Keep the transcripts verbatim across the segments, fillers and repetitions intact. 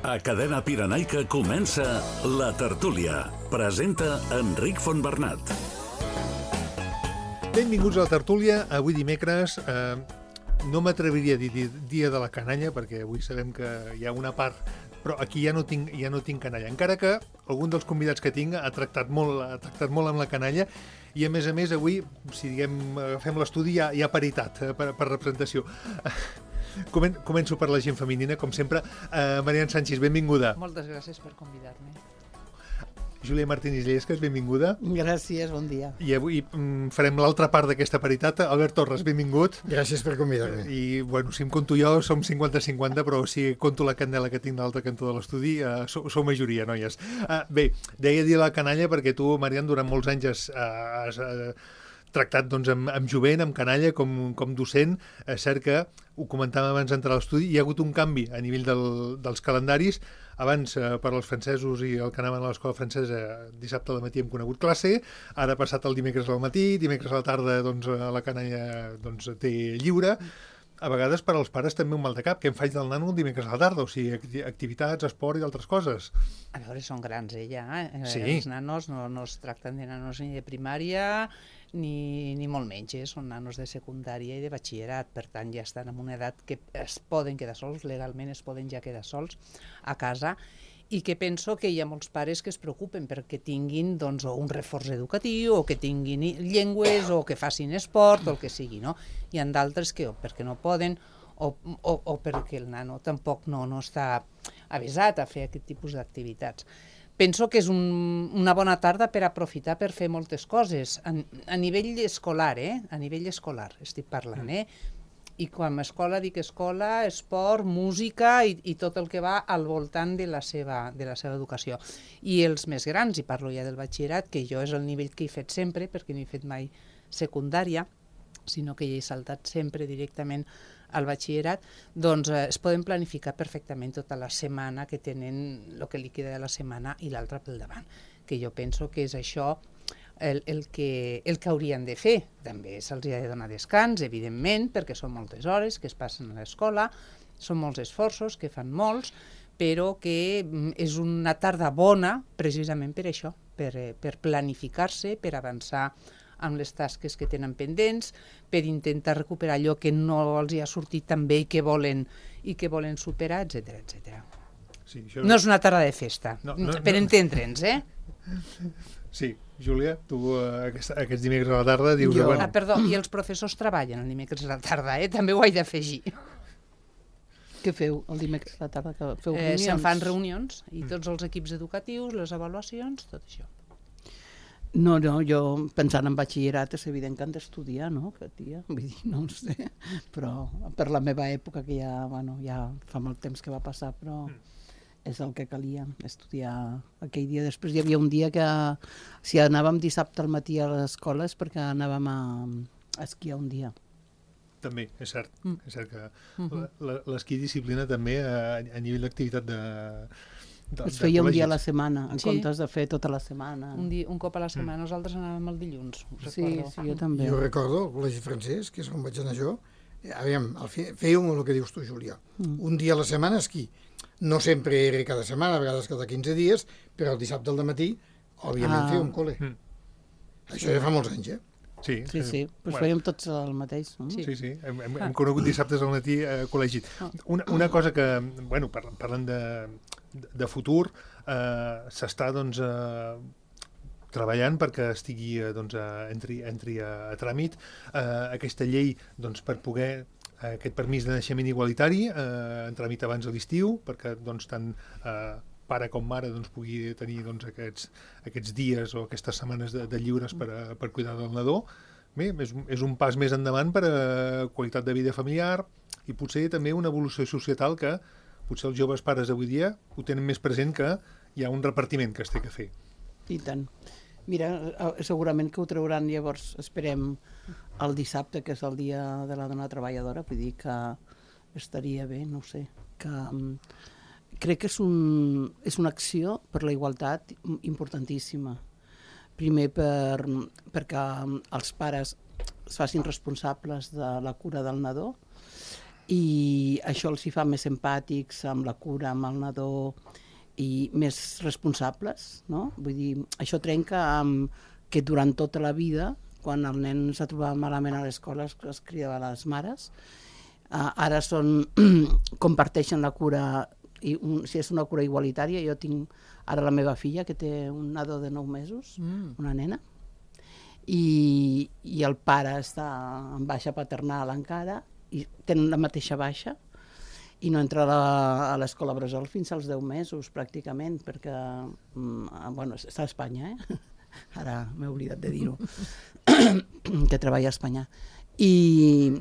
A Cadena Pirenaica comença La Tertúlia. Presenta Enric Fontbernat. Benvinguts a La Tertúlia. Avui dimecres eh, no m'atreviria a dir dia de la canalla, perquè avui sabem que hi ha una part, però aquí ja no tinc, ja no tinc canalla. Encara que algun dels convidats que tinc ha tractat molt, ha tractat molt amb la canalla i, a més a més, avui, si diguem, agafem l'estudi, hi ha, hi ha paritat eh, per, per representació. Comen començo per la gent femenina, com sempre. Uh, Marian Sánchez, benvinguda. Moltes gràcies per convidar-me. Júlia Martínez Llescas, benvinguda. Gràcies, bon dia. I avui mm, farem l'altra part d'aquesta paritat. Albert Torres, benvingut. Gràcies per convidar-me. I, bueno, si em conto jo, som cinquanta cinquanta, però si conto la candela que tinc de l'altre cantó de l'estudi, uh, sou, sou majoria, noies. Uh, bé, deia dir la canalla perquè tu, Marian, durant molts anys has... Uh, has uh, tractat doncs, amb, amb jovent, amb canalla, com, com docent. És cert que, ho comentàvem abans d'entrar a l'estudi, hi ha hagut un canvi a nivell del, dels calendaris. Abans, eh, per als francesos i el que anaven a l'escola francesa, dissabte al matí hem conegut classe, ara ha passat el dimecres al matí, dimecres a la tarda doncs, la canalla doncs, té lliure. A vegades per als pares també un mal de cap, que em faig del nano el dimecres a la tarda, o sigui, activitats, esport i d'altres coses. A veure, són grans, eh, ja. Eh? Sí. Els nanos no, no es tracten de nanos ni de primària ni, ni molt menys, eh? Són nanos de secundària i de batxillerat, per tant ja estan en una edat que es poden quedar sols, legalment es poden ja quedar sols a casa, i que penso que hi ha molts pares que es preocupen perquè tinguin doncs, o un reforç educatiu, o que tinguin llengües, o que facin esport, o el que sigui, no? Hi ha d'altres que o perquè no poden, o, o, o perquè el nano tampoc no, no està avisat a fer aquest tipus d'activitats. Penso que és un, una bona tarda per aprofitar per fer moltes coses, a, a nivell escolar, eh? A nivell escolar estic parlant, eh? I quan a escola dic escola, esport, música i, i tot el que va al voltant de la, seva, de la seva educació. I els més grans, i parlo ja del batxillerat, que jo és el nivell que he fet sempre, perquè no he fet mai secundària, sinó que ja he saltat sempre directament al batxillerat, doncs eh, es poden planificar perfectament tota la setmana que tenen, el que li queda de la setmana i l'altra pel davant, que jo penso que és això el, el, que, el que haurien de fer. També se'ls ha de donar descans, evidentment, perquè són moltes hores que es passen a l'escola, són molts esforços, que fan molts, però que és una tarda bona precisament per això, per, per planificar-se, per avançar amb les tasques que tenen pendents, per intentar recuperar allò que no els hi ha sortit tan bé i que volen, i que volen superar, etcètera, etcètera. Sí, això... No és una tarda de festa, no, no, per no. entendre'ns, eh? Sí, Júlia, tu uh, aquest, aquests dimecres a la tarda dius... Jo... Bueno... Ah, perdó, i els professors treballen el dimecres a la tarda, eh? També ho he d'afegir. Què feu el dimecres a la tarda? Que feu eh, reunions? Se'n fan reunions, i tots els equips educatius, les avaluacions, tot això. No, no, jo pensant en batxillerat és evident que han d'estudiar, no? Que tia, vull dir, no ho sé, però per la meva època, que ja, bueno, ja fa molt temps que va passar, però és el que calia, estudiar aquell dia. Després hi havia un dia que, si anàvem dissabte al matí a l'escola és perquè anàvem a, a esquiar un dia. També, és cert, Mm. és cert que Uh-huh. l'esquí disciplina també a, a nivell d'activitat de... De, es feia un dia a la setmana, en Sí. comptes de fer tota la setmana. Un, di un cop a la setmana, mm. nosaltres anàvem el dilluns, ho Sí, recordo. sí, jo també. Jo recordo el col·legi francès, que és on vaig anar jo, aviam, fèiem el que dius tu, Júlia. Mm. Un dia a la setmana esquí. No sempre era cada setmana, a vegades cada quinze dies, però el dissabte al matí, òbviament, Ah. fèiem col·le. Mm. Això ja fa molts anys, eh? Sí, Sí, sí, doncs bueno. fèiem tots el mateix. No? Sí. Sí, sí, hem, hem, hem conegut dissabtes al matí a col·legi. Una, una cosa que, bueno, par parlant de, de futur, eh, s'està, doncs, eh, treballant perquè estigui, eh, doncs, a, entri, entri a, a tràmit eh, aquesta llei, doncs, per poder eh, aquest permís de naixement igualitari eh, en tràmit abans de l'estiu, perquè, doncs, tant eh, pare com mare doncs, pugui tenir doncs, aquests, aquests dies o aquestes setmanes de, de lliures per, a, per cuidar del nadó. Bé, és, és un pas més endavant per a qualitat de vida familiar i potser també una evolució societal que potser els joves pares d'avui dia ho tenen més present, que hi ha un repartiment que es té que fer. I tant. Mira, segurament que ho trauran llavors, esperem, el dissabte, que és el dia de la dona treballadora, vull dir que estaria bé, no ho sé, que... Crec que és, un, és una acció per la igualtat importantíssima. Primer per, perquè els pares es facin responsables de la cura del nadó i això els hi fa més empàtics amb la cura, amb el nadó, i més responsables, no? Vull dir, això trenca amb que durant tota la vida, quan el nen s'ha trobat malament a l'escola, es, es cridava a les mares, uh, ara són, comparteixen la cura, i un, si és una cura igualitària. Jo tinc ara la meva filla, que té un nadó de nou mesos, mm. una nena, i, i el pare està en baixa paternal encara, i tenen la mateixa baixa, i no entra a la- a l'escola bressol fins als deu mesos, pràcticament, perquè, mm, bueno, està a Espanya, eh? Ara m'he oblidat de dir-ho, que treballa a Espanya. I,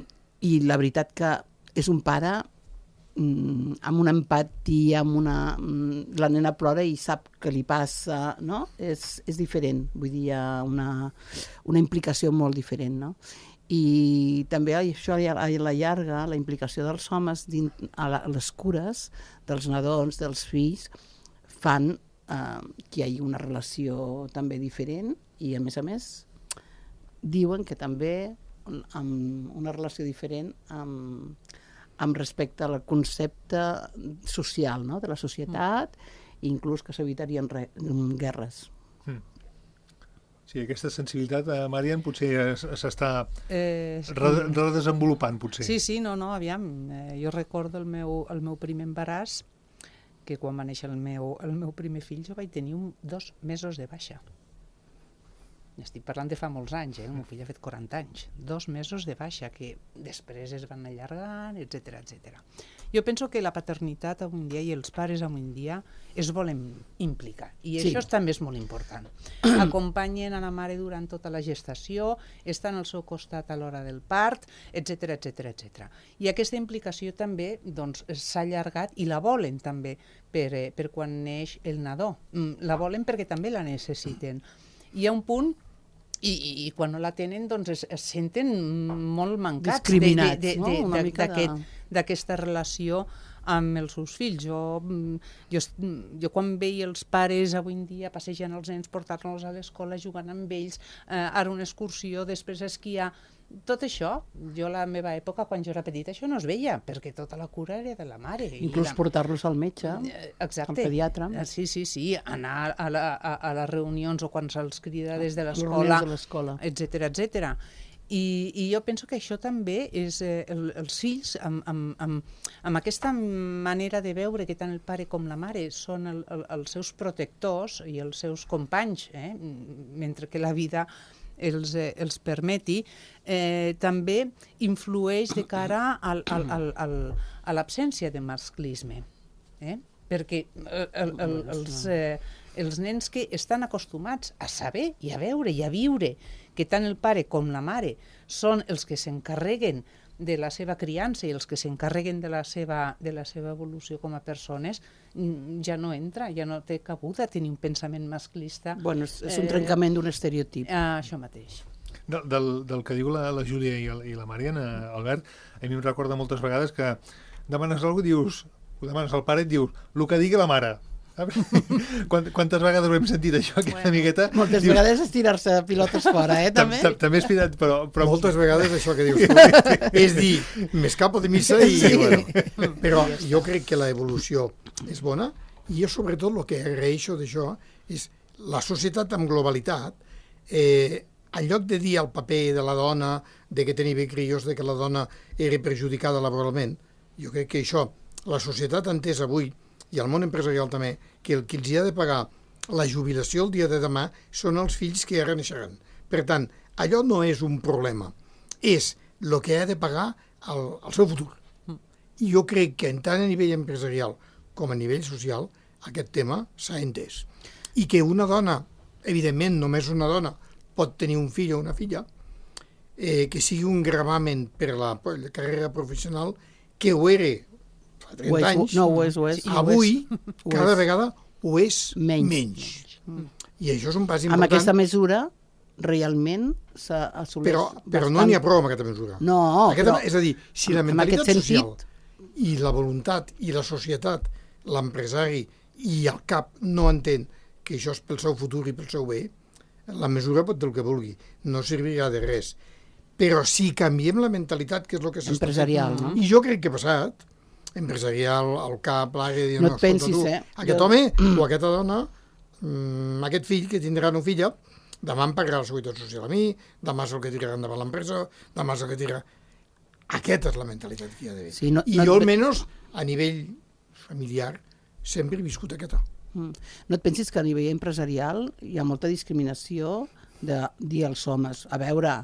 I la veritat que és un pare mm, amb una empatia, amb una... Mm, la nena plora i sap què li passa, no? És, és diferent, vull dir, hi ha una, una implicació molt diferent, no? I també això a la llarga, la implicació dels homes dins, a, la, a les cures dels nadons, dels fills, fan eh, que hi hagi una relació també diferent i, a més a més, diuen que també amb una relació diferent amb, amb respecte al concepte social, no?, de la societat, mm. inclús que s'evitarien re- guerres. Mm. Sí, aquesta sensibilitat, eh, Marian, potser es- s'està Eh, re- redesenvolupant, potser. Sí, sí, no, no, aviam, eh, jo recordo el meu, el meu primer embaràs, que quan va néixer el meu, el meu primer fill jo vaig tenir un, dos mesos de baixa. Estic parlant de fa molts anys, eh? El meu fill ha fet quaranta anys. Dos mesos de baixa, que després es van allargant, etcètera, etcètera. Jo penso que la paternitat avui en dia i els pares avui en dia es volen implicar, i Sí. això també és molt important. Acompanyen a la mare durant tota la gestació, estan al seu costat a l'hora del part, etcètera, etcètera, etcètera. I aquesta implicació també doncs, s'ha allargat i la volen també per, eh, per quan neix el nadó. Mm, La volen perquè també la necessiten. Hi ha un punt i, i, i quan no la tenen doncs es, es senten molt mancats de- Discriminats, de- de- no? de- Una de- mica de- d'aquest- d'aquesta relació amb els seus fills. Jo, mm, jo, est- mm, jo quan veia els pares avui en dia passejant els nens, portar-los a l'escola, jugant amb ells, eh, ara una excursió, després esquiar, tot això, jo a la meva època, quan jo era petita, això no es veia, perquè tota la cura era de la mare. I Inclús la... portar-los al metge, Eh, Exacte. al pediatre. Eh, Sí, sí, sí, anar a, la, a, a les reunions o quan se'ls crida des de Les l'escola, reunions de l'escola. etcètera, etcètera. I, I jo penso que això també és eh, el, els fills, amb, amb, amb, amb aquesta manera de veure que tant el pare com la mare són el, el, els seus protectors i els seus companys, eh, mentre que la vida els, eh, els permeti, eh, també influeix de cara al, al, al, al, a l'absència de masclisme. Eh? Perquè el, el, el, els, eh, els nens que estan acostumats a saber i a veure i a viure que tant el pare com la mare són els que s'encarreguen de la seva criança i els que s'encarreguen de la seva, de la seva evolució com a persones, mm, ja no entra, ja no té cabuda tenir un pensament masclista. Bueno, és, és un Eh, trencament d'un estereotip. Ah, això mateix. Del, del, del que diu la, la Júlia i, el, i la Mariana, Albert, a mi em recorda moltes vegades que demanes alguna cosa, dius, ho demanes al pare i et dius, el que digui la mare. Saps? Quant, quantes vegades ho hem sentit això, aquesta Bueno. miqueta? Moltes Dius, vegades és tirar-se pilotes fora, eh, tam- també? tam- També és pirat, però... però Moltes vegades això que dius tu és dir, m'escapo de missa i... Sí. Bueno, però jo crec que l'evolució és bona i jo sobretot el que agraeixo d'això és la societat amb globalitat, eh, en lloc de dir el paper de la dona, de que tenia crios, de que la dona era perjudicada laboralment, jo crec que això, la societat ha entès avui, i el món empresarial també, que el que els hi ha de pagar la jubilació el dia de demà són els fills que ara naixeran. Per tant, allò no és un problema, és el que ha de pagar el, el seu futur. I jo crec que tant a nivell empresarial com a nivell social aquest tema s'ha entès. I que una dona, evidentment només una dona, pot tenir un fill o una filla, eh, que sigui un gravamen per la, per la carrera professional, que ho era fa Ho trenta és, anys, no, ho és, ho és. avui Ho cada és. vegada ho és Menys. menys. I això és un pas Amb important, aquesta mesura, realment s'assoleix però, però no n'hi ha prou amb aquesta mesura. No, aquesta, però és a dir, si la en mentalitat aquest social sentit- i la voluntat i la societat, l'empresari i el cap no entén que això és pel seu futur i pel seu bé, la mesura pot dir el que vulgui, no servirà de res. però si canviem la mentalitat, que és el que s'està fent... Empresarial, no? I jo crec que ha passat, empresarial, al cap, l'àrea, dir, No no, et pensis, escolta, tu, eh? aquest Jo- home o aquesta dona, mm, aquest fill que tindrà una filla, demà em pagarà la seguretat social a mi, demà és el que tirarà endavant l'empresa, demà és el que tirarà... Aquesta és la mentalitat que hi ha d'haver. Sí, no- I no et jo, ve- almenys, a nivell familiar, sempre he viscut aquesta. Mm. No et pensis que a nivell empresarial hi ha molta discriminació de dir als homes, a veure,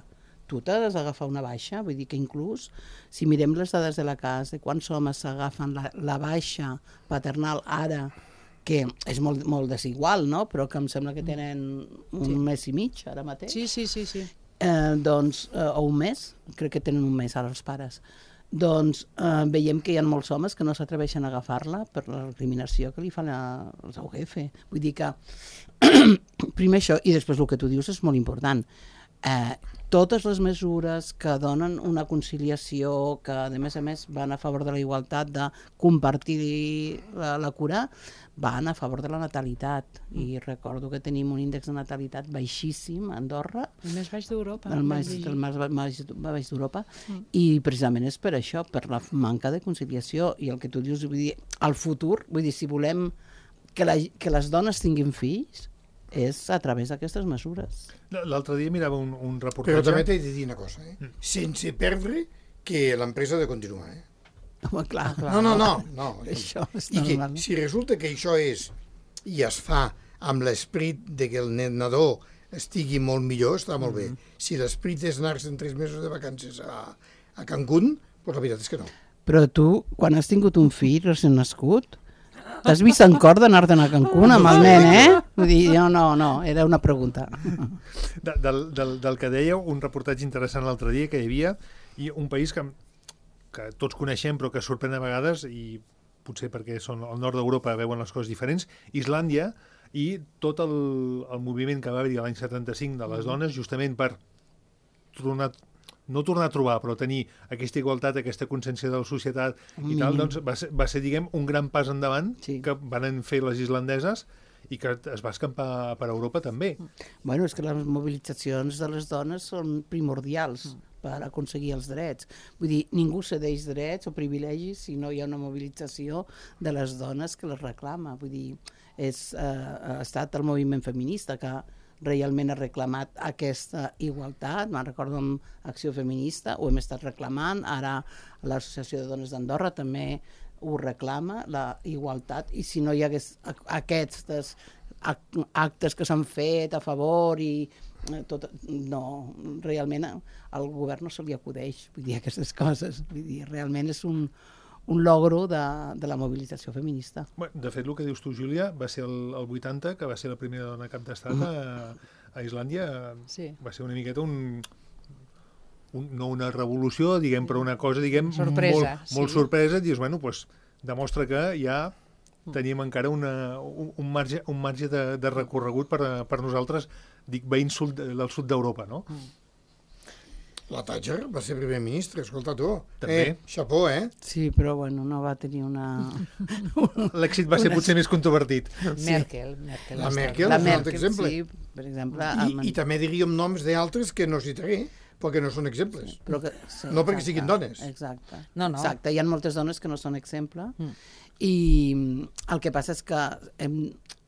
tu t'has d'agafar una baixa, vull dir que inclús si mirem les dades de la casa, de quants homes s'agafen la, la baixa paternal ara, que és molt, molt desigual, no? Però que em sembla que tenen un Sí. mes i mig ara mateix, Sí, sí, sí, sí. eh, doncs, eh, o un mes, crec que tenen un mes ara els pares, doncs eh, veiem que hi ha molts homes que no s'atreveixen a agafar-la per la recriminació que li fan a, als U G F. Vull dir que primer això, i després el que tu dius és molt important. Eh, totes les mesures que donen una conciliació, que a més a més van a favor de la igualtat, de compartir la, la cura, van a favor de la natalitat. I recordo que tenim un índex de natalitat baixíssim a Andorra, El més baix d'Europa. el més, vaig dir. el més, més baix d'Europa, i precisament és per això, per la manca de conciliació. I el que tu dius, vull dir, al futur, vull dir, si volem que, la, que les dones tinguin fills, és a través d'aquestes mesures. L'altre dia mirava un, un reportatge... Però també t'he de dir una cosa, eh? sense perdre que l'empresa ha de continuar. Eh? Home, clar, No, no, no. no. Això és I que normal. si resulta que això és i es fa amb l'esperit de que el nen nadó estigui molt millor, està molt bé. Si l'esperit és anar-se'n tres mesos de vacances a, a Cancún, doncs la veritat és que no. Però tu, quan has tingut un fill recent nascut, t'has vist en cor d'anar-te'n a Cancún amb el nen, eh? Vull dir, no, no, no, era una pregunta. De, del, del, del que dèieu, un reportatge interessant l'altre dia que hi havia, i un país que, que tots coneixem però que sorprèn a vegades, i potser perquè són al nord d'Europa veuen les coses diferents, Islàndia, i tot el, el moviment que va haver-hi l'any setanta-cinc de les dones, justament per tornar, no tornar a trobar, però tenir aquesta igualtat, aquesta consciència de la societat i tal, doncs va ser, va ser, diguem, un gran pas endavant Sí. que van fer les islandeses i que es va escampar per Europa també. Bueno, és que les mobilitzacions de les dones són primordials per aconseguir els drets. Vull dir, ningú cedeix drets o privilegis si no hi ha una mobilització de les dones que les reclama. Vull dir, és, eh, ha estat el moviment feminista que realment ha reclamat aquesta igualtat. Me'n recordo amb Acció Feminista, ho hem estat reclamant, ara l'Associació de Dones d'Andorra també ho reclama, la igualtat, i si no hi hagués aquests actes que s'han fet a favor i tot, no, realment al govern no se li acudeix, vull dir, aquestes coses. Vull dir, realment és un, un logro de, de la mobilització feminista. Bé, de fet, el que dius tu, Júlia, va ser el, el vuitanta, que va ser la primera dona cap d'estat a, a Islàndia. Sí. Va ser una miqueta un... Un, no una revolució, diguem, però una cosa, diguem, Sorpresa, molt, molt sí. sorpresa, dius, bueno, doncs demostra que ja tenim encara una, un, un marge, un marge de, de recorregut per, per nosaltres, dic, veïns sud, del sud d'Europa, no? La Thatcher va ser primer ministre, escolta tu. També. Eh, xapó, eh? Sí, però bueno, no va tenir una... L'èxit va ser potser més controvertit. Merkel. Merkel La ha estat- Merkel. La és un altre Merkel, exemple. sí, per exemple... I, amb- I també diríem noms d'altres que no citaré, perquè no són exemples. Però que, sí, No perquè exacte, siguin dones. Exacte. No, no. Exacte, hi ha moltes dones que no són exemple Mm. i el que passa és que hem,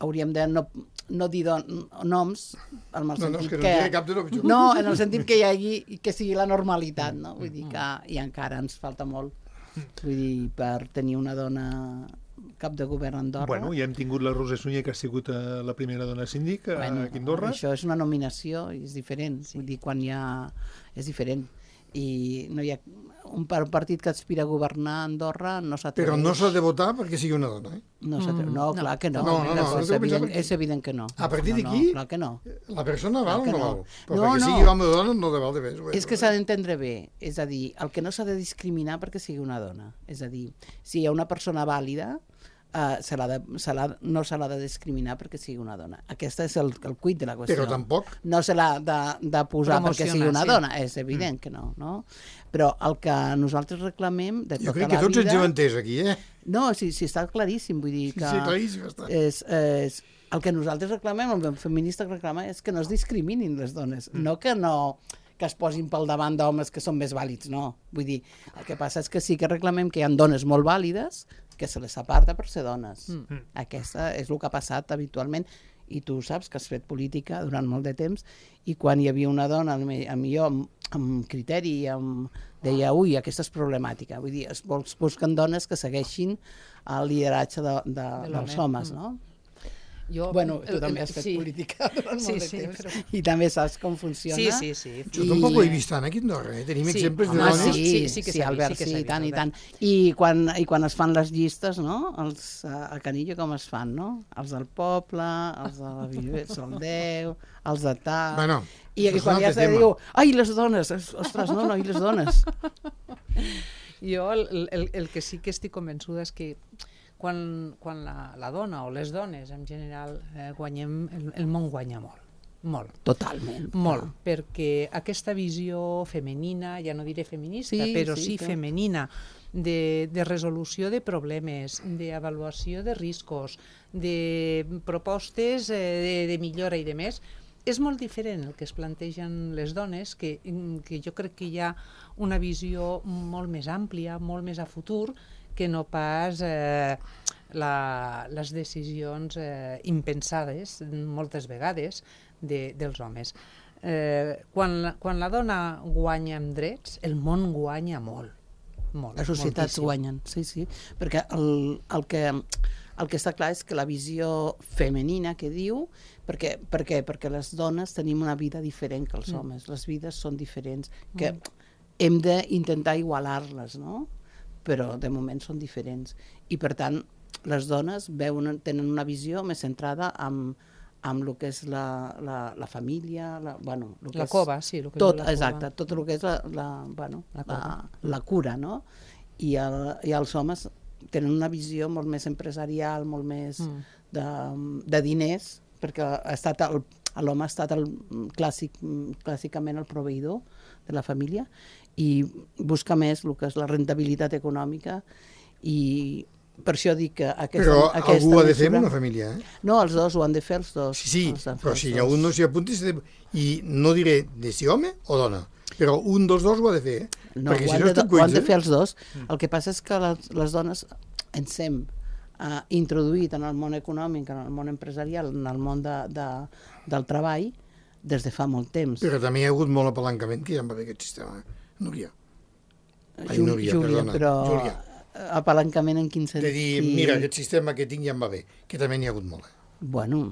hauríem de no, no dir don, noms en el No, no, és sentit que no en diré cap de nom, jo. no, en el sentit que hi hagi que sigui la normalitat, no? Vull dir que i encara ens falta molt. Vull dir, per tenir una dona cap de govern a Andorra. Bueno, ja hem tingut la Rosa Sunyer, que ha sigut eh, la primera dona síndic a, Bueno, aquí a Andorra. això és una nominació i és diferent, sí. Vull dir, quan hi ha... és diferent. I no hi ha un partit que aspira a governar a Andorra no s'atreveix. Però no s'ha de votar perquè sigui una dona, eh? No, mm, no, clar que no. No, no, no, és, no t'ho evident, pensava que- és evident que no. A partir no, d'aquí- No, clar que no. La persona val o que no no. val? Però No, perquè no. sigui home o dona no de val de més. És que s'ha d'entendre bé, és a dir, el que no s'ha de discriminar perquè sigui una dona. És a dir, si hi ha una persona vàlida, uh, se l'ha de, se l'ha, no se l'ha de discriminar perquè sigui una dona. Aquest és el, el cuit de la qüestió. Però tampoc. No se l'ha de, de posar perquè Promocionar, sigui una sí. dona, és evident mm. que no, no? Però el que nosaltres reclamem de Jo tota crec que la tots ens vida... heu entès aquí, eh? No, sí, sí, està claríssim, vull dir Sí, que... sí, claríssim està. És, és, el que nosaltres reclamem, el feminista reclama, és que no es discriminin les dones, mm. no que no que es posin pel davant d'homes que són més vàlids, no. Vull dir, el que passa és que sí que reclamem que hi ha dones molt vàlides que se les aparta per ser dones. Mm. Aquesta és el que ha passat habitualment, i tu saps que has fet política durant molt de temps, i quan hi havia una dona, a millor amb, amb criteri, amb, deia, ui, aquesta és problemàtica. Vull dir, es busquen dones que segueixin el lideratge de, de, de dels homes, no? Jo, bueno, tu el, també has el, fet sí. política durant sí, molt de sí, temps però... i també saps com funciona. Sí, sí, sí. Jo I... tampoc ho he vist tant aquí a Andorra, eh? Tenim sí. exemples de Home, dones... sí, sí, sí, que sí, Albert, sí, que sí, vist, tant i Albert. tant. I quan, I quan es fan les llistes, no? Els, a Canillo com es fan, no? Els del poble, els de la Viver, el deu, els de tal... Bueno, I aquí quan ja se diu, ai, les dones, ostres, no, no, i les dones. Jo el, el, el que sí que estic convençuda és que quan, quan la, la dona o les dones en general eh, guanyem, el, el món guanya molt. Molt. Totalment. Molt, ah. perquè aquesta visió femenina, ja no diré feminista, sí, però sí, sí que... femenina, de, de resolució de problemes, d'avaluació de riscos, de propostes eh, de, de millora i de més, és molt diferent el que es plantegen les dones, que, que jo crec que hi ha una visió molt més àmplia, molt més a futur, que no pas eh, la, les decisions eh, impensades, moltes vegades, de, dels homes. Eh, quan, la, quan la dona guanya amb drets, el món guanya molt. molt Les societats moltíssim. guanyen, sí, sí. Perquè el, el, que, el que està clar és que la visió femenina que diu, perquè, perquè, perquè les dones tenim una vida diferent que els Mm. homes, les vides són diferents, que mm. hem d'intentar igualar-les, no? Però de moment són diferents. I per tant, les dones veuen, tenen una visió més centrada en, amb el que és la, la, la família, la, bueno, lo que la és, cova, sí. Lo que tot, és la exacte, cova. tot el que és la, la, bueno, La la, cova. la cura, no? I, el, I els homes tenen una visió molt més empresarial, molt més Mm. de, de diners, perquè ha estat el, l'home ha estat el clàssic, clàssicament el proveïdor de la família i busca més el que és la rentabilitat econòmica, i per això dic que aquesta, Però aquesta algú ho ha de mesura... fer en una família, eh? No, els dos ho han de fer, els dos. Sí, sí, Els han de fer però els si dos. un no s'hi apunti, s'ha de... i no diré de si home o dona, però un dels dos ho ha de fer, eh? No, Perquè ho, si han no de, estem ho han cuits, de fer eh? els dos. El que passa és que les, les dones ens hem uh, introduït en el món econòmic, en el món empresarial, en el món de, de, del treball, des de fa molt temps. Però també hi ha hagut molt apalancament, que ja em va bé aquest sistema, eh? Núria. Ai, Júlia, Núria, Júlia, perdona. però Júlia. apalancament en quin sentit? De dir, mira, aquest sistema que tinc ja em va bé, que també n'hi ha hagut molt. Eh? Bueno,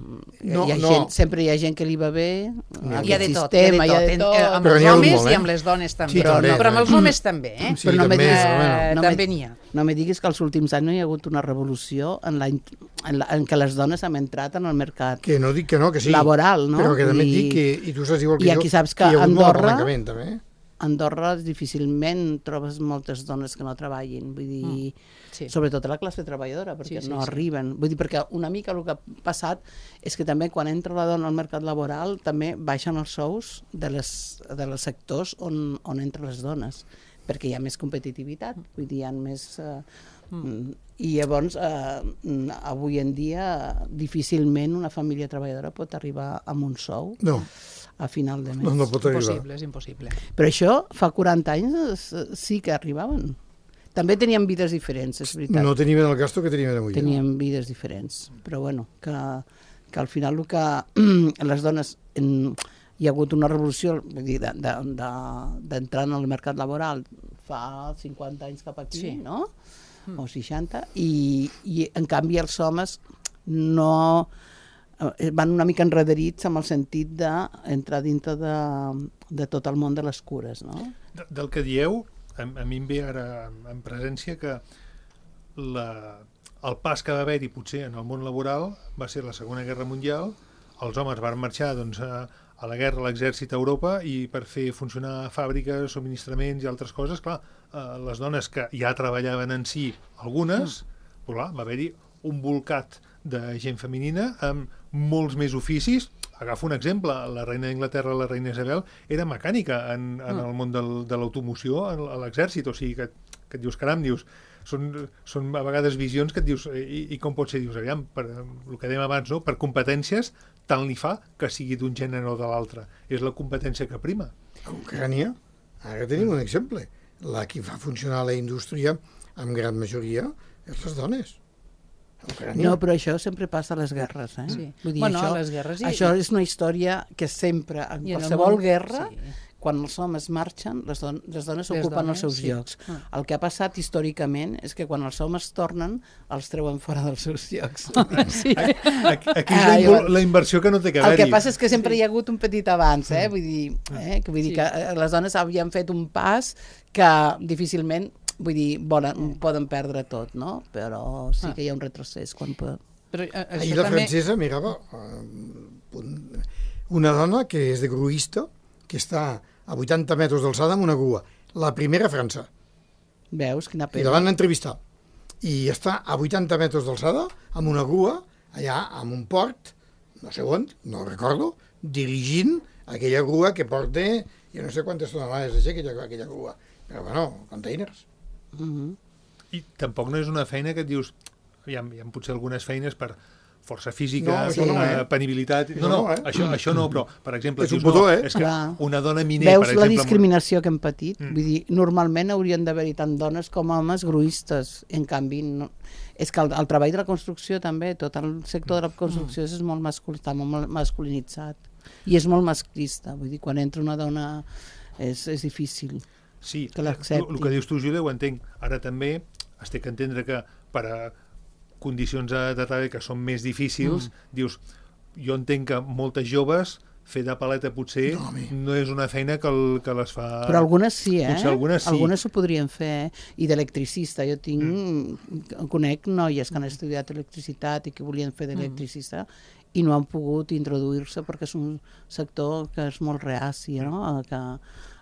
No, hi ha no. gent, sempre hi ha gent que li va bé, ha Hi ha de tot, sistema, hi ha de tot, hi ha de eh, tot. amb Però els n'hi ha hagut homes molt, eh? i amb les dones també. Sí, però, també, no, però amb els també. homes també, eh? Sí, Però no també, me diguis- però bueno. Eh, no me- també n'hi ha. No me diguis que els últims anys no hi ha hagut una revolució en, la, en, la, en què les dones hem entrat en el mercat Que no dic que no, que sí. laboral, no? Però que també et I- dic que, i tu saps igual que i jo, aquí saps que hi ha hagut molt Andorra- apalancament, també. eh? a Andorra difícilment trobes moltes dones que no treballin, vull dir, Sí. sobretot a la classe treballadora, perquè Sí, sí, no sí. arriben. Vull dir, perquè una mica el que ha passat és que també quan entra la dona al mercat laboral també baixen els sous de les, de les sectors on, on entren les dones, perquè hi ha més competitivitat, vull dir, hi ha més... Eh, mm. I llavors, eh, avui en dia, difícilment una família treballadora pot arribar amb un sou No, a final de mes. no, no pot arribar. Impossible, és impossible. Però això, fa quaranta anys, eh, sí que arribaven. També tenien vides diferents, és veritat. No teníem el gasto que teníem avui. Tenien vides diferents. Però bueno, que, que al final el que les dones... En, hi ha hagut una revolució, vull dir, d'entrar de, de, de, en el mercat laboral fa cinquanta anys cap aquí, Sí. no? O seixanta, i, i en canvi els homes no eh, van una mica enrederits amb el sentit d'entrar dintre de, de tot el món de les cures, no? De, del que dieu, a, a mi em ve ara en presència que la, el pas que va haver-hi potser en el món laboral va ser la Segona Guerra Mundial. Els homes van marxar doncs, a, a la guerra, a l'exèrcit a Europa, i per fer funcionar fàbriques, subministraments i altres coses, clar, eh, les dones que ja treballaven en si, algunes, mm. clar, va haver-hi un bolcat de gent femenina amb molts més oficis. Agafo un exemple, la reina d'Anglaterra, la reina Isabel, era mecànica en, en mm. el món del, de l'automoció a l'exèrcit, o sigui que, que et dius, caram, dius, són, són a vegades visions que et dius, i, i com pot ser? Dius, aviam, per, el que dèiem abans, no? Per competències, tant li fa que sigui d'un gènere o de l'altre. És la competència que prima. A Ucrània, ara tenim un exemple. La qui fa funcionar la indústria, en gran majoria, és les dones. No, però això sempre passa a les guerres, eh? Sí. Vull dir, Bueno, això, a les guerres i- això és una història que sempre, en I en el qualsevol món- guerra, sí. quan els homes marxen, les, don les dones Les ocupen dones, els seus sí. llocs. Ah. El que ha passat històricament és que quan els homes tornen, els treuen fora dels seus llocs. Sí. Aquí, aquí és Ah, la, jo- invo- la inversió que no té que El haver-hi. que passa és que sempre hi ha hagut un petit abans, eh? Vull dir, eh? que, vull dir Sí. que eh, les dones havien fet un pas que difícilment, vull dir, volen, poden perdre tot, no? Però sí que hi ha un retrocés quan pot... Però, eh, Ahir això la també... francesa mirava eh, un- una dona que és de gruista, que està a vuitanta metres d'alçada amb una grua. La primera a França. Veus? Quina I pena. la van entrevistar. I està a vuitanta metres d'alçada amb una grua, allà en un port, no sé on, no recordo, dirigint aquella grua que porta, jo no sé quantes tonelades és aquella, aquella grua, però bueno, containers. Mhm. I tampoc no és una feina que et dius, hi ha, hi ha potser algunes feines per força física, No, això no, eh, eh? penibilitat... Això No, no, no, eh? això, això no, però, per exemple, És un dius, botó, no, eh? és que Clar. una dona miner, Veus per la exemple... discriminació que hem patit? Mm. Vull dir, normalment haurien d'haver-hi tant dones com homes gruistes. En canvi, no... és que el, el treball de la construcció també, tot el sector de la construcció és molt masculí, està molt masculinitzat. I és molt masclista. Vull dir, quan entra una dona és, és difícil. Sí, que el, l'accepti. el que dius tu, Júlia, ho entenc. Ara també es té que entendre que per a condicions de, de treball que són més difícils, mm. dius, jo entenc que moltes joves fer de paleta potser No, home. no és una feina que, el, que les fa... Però algunes sí, eh? Potser algunes sí. Algunes ho podrien fer. I d'electricista. Jo tinc... Mm. Conec noies que han estudiat electricitat i que volien fer d'electricista i no han pogut introduir-se perquè és un sector que és molt reaci, no? Que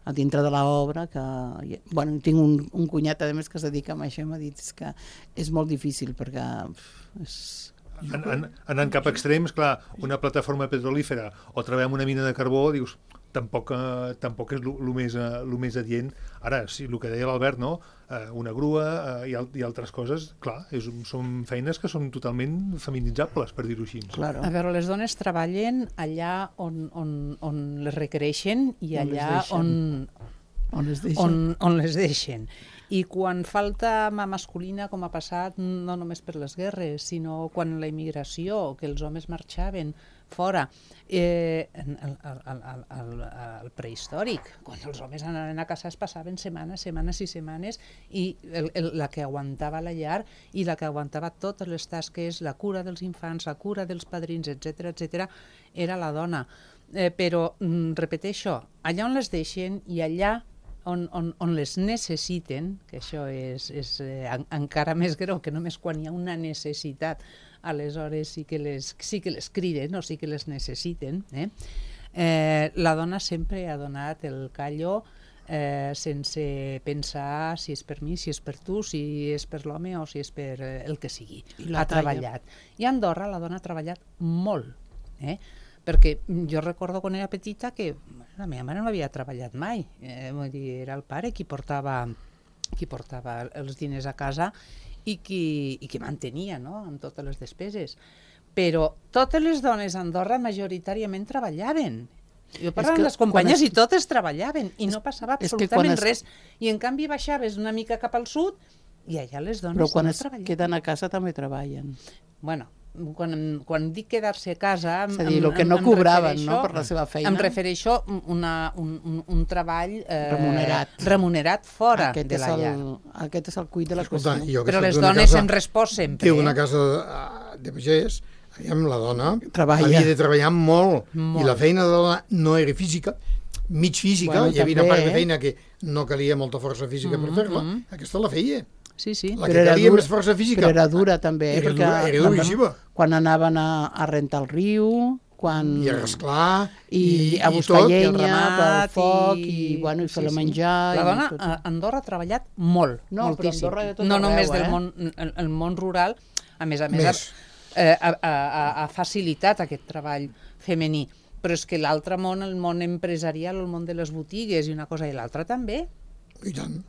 a dintre de l'obra, que... Bueno, tinc un, un cunyat, a més, que es dedica a això i m'ha dit és que és molt difícil perquè pff, és... En, en, anant cap a extrems, clar, una plataforma petrolífera o treballar en una mina de carbó, dius, tampoc, eh, tampoc és el més, eh, lo més adient. Ara, sí, el que deia l'Albert, no? Eh, una grua eh, i, al, i altres coses, clar, és, són feines que són totalment feminitzables, per dir-ho així. Claro. A veure, les dones treballen allà on, on, on les requereixen i On les allà deixen. on, On les deixen. on, on les deixen. I quan falta mà masculina, com ha passat, no només per les guerres, sinó quan la immigració, que els homes marxaven fora, eh, el, el, el, el, el prehistòric, quan els homes anaven a casa es passaven setmanes, setmanes i setmanes, i el, el, la que aguantava la llar i la que aguantava totes les tasques, la cura dels infants, la cura dels padrins, etcètera, etcètera, era la dona. Eh, però, mm, repeteixo, allà on les deixen i allà On, on, on les necessiten, que això és, és eh, en, encara més greu que només quan hi ha una necessitat, aleshores sí que les, sí que les criden o sí que les necessiten. Eh? Eh, la dona sempre ha donat el callo eh, sense pensar si és per mi, si és per tu, si és per l'home o si és per eh, el que sigui. la Ha talla. treballat. I a Andorra la dona ha treballat molt. Eh? Perquè jo recordo quan era petita que la meva mare no havia treballat mai, eh, vull dir, era el pare qui portava, qui portava els diners a casa i qui, i qui mantenia, no?, amb totes les despeses. Però totes les dones a Andorra majoritàriament treballaven. Jo parlava amb les companyes es... i totes treballaven i no passava absolutament es... res. I en canvi baixaves una mica cap al sud i allà les dones Però quan no es treballaven. queden a casa també treballen. Bueno, quan, quan dic quedar-se a casa... És a dir, el que no cobraven, no?, per la seva feina. Em refereixo a una, un, un, un treball eh, Remunerat. remunerat fora Aquest de és la el, llar. aquest és el cuit de la Escolta, qüestió. jo que Però soc les d'una dones casa- han respost sempre. Té una eh? casa de, de pagès, aviam, la dona Treballa. havia de treballar molt, Molt. i la feina de la dona no era física, mig física, Bueno, hi havia una també, part de eh? feina que no calia molta força física per fer-la, aquesta la feia. Sí, sí. La Però que era calia dura- més força física... Però era dura també, eh? Era perquè dura, era quan- duríssima. Quan anaven a, a rentar el riu, quan... I a rasclar, i, i, a i buscar tot. llenya ramat pel foc i, i- bueno, i sí, fer-la sí. menjar. La i dona tot. a Andorra ha treballat molt, No, però moltíssim. Andorra de tot no arreu, només eh? del món, el, el món rural, a més a més, Més. Ha, eh, ha, ha, ha facilitat aquest treball femení. Però és que l'altre món, el món empresarial, el món de les botigues i una cosa i l'altra també. I tant.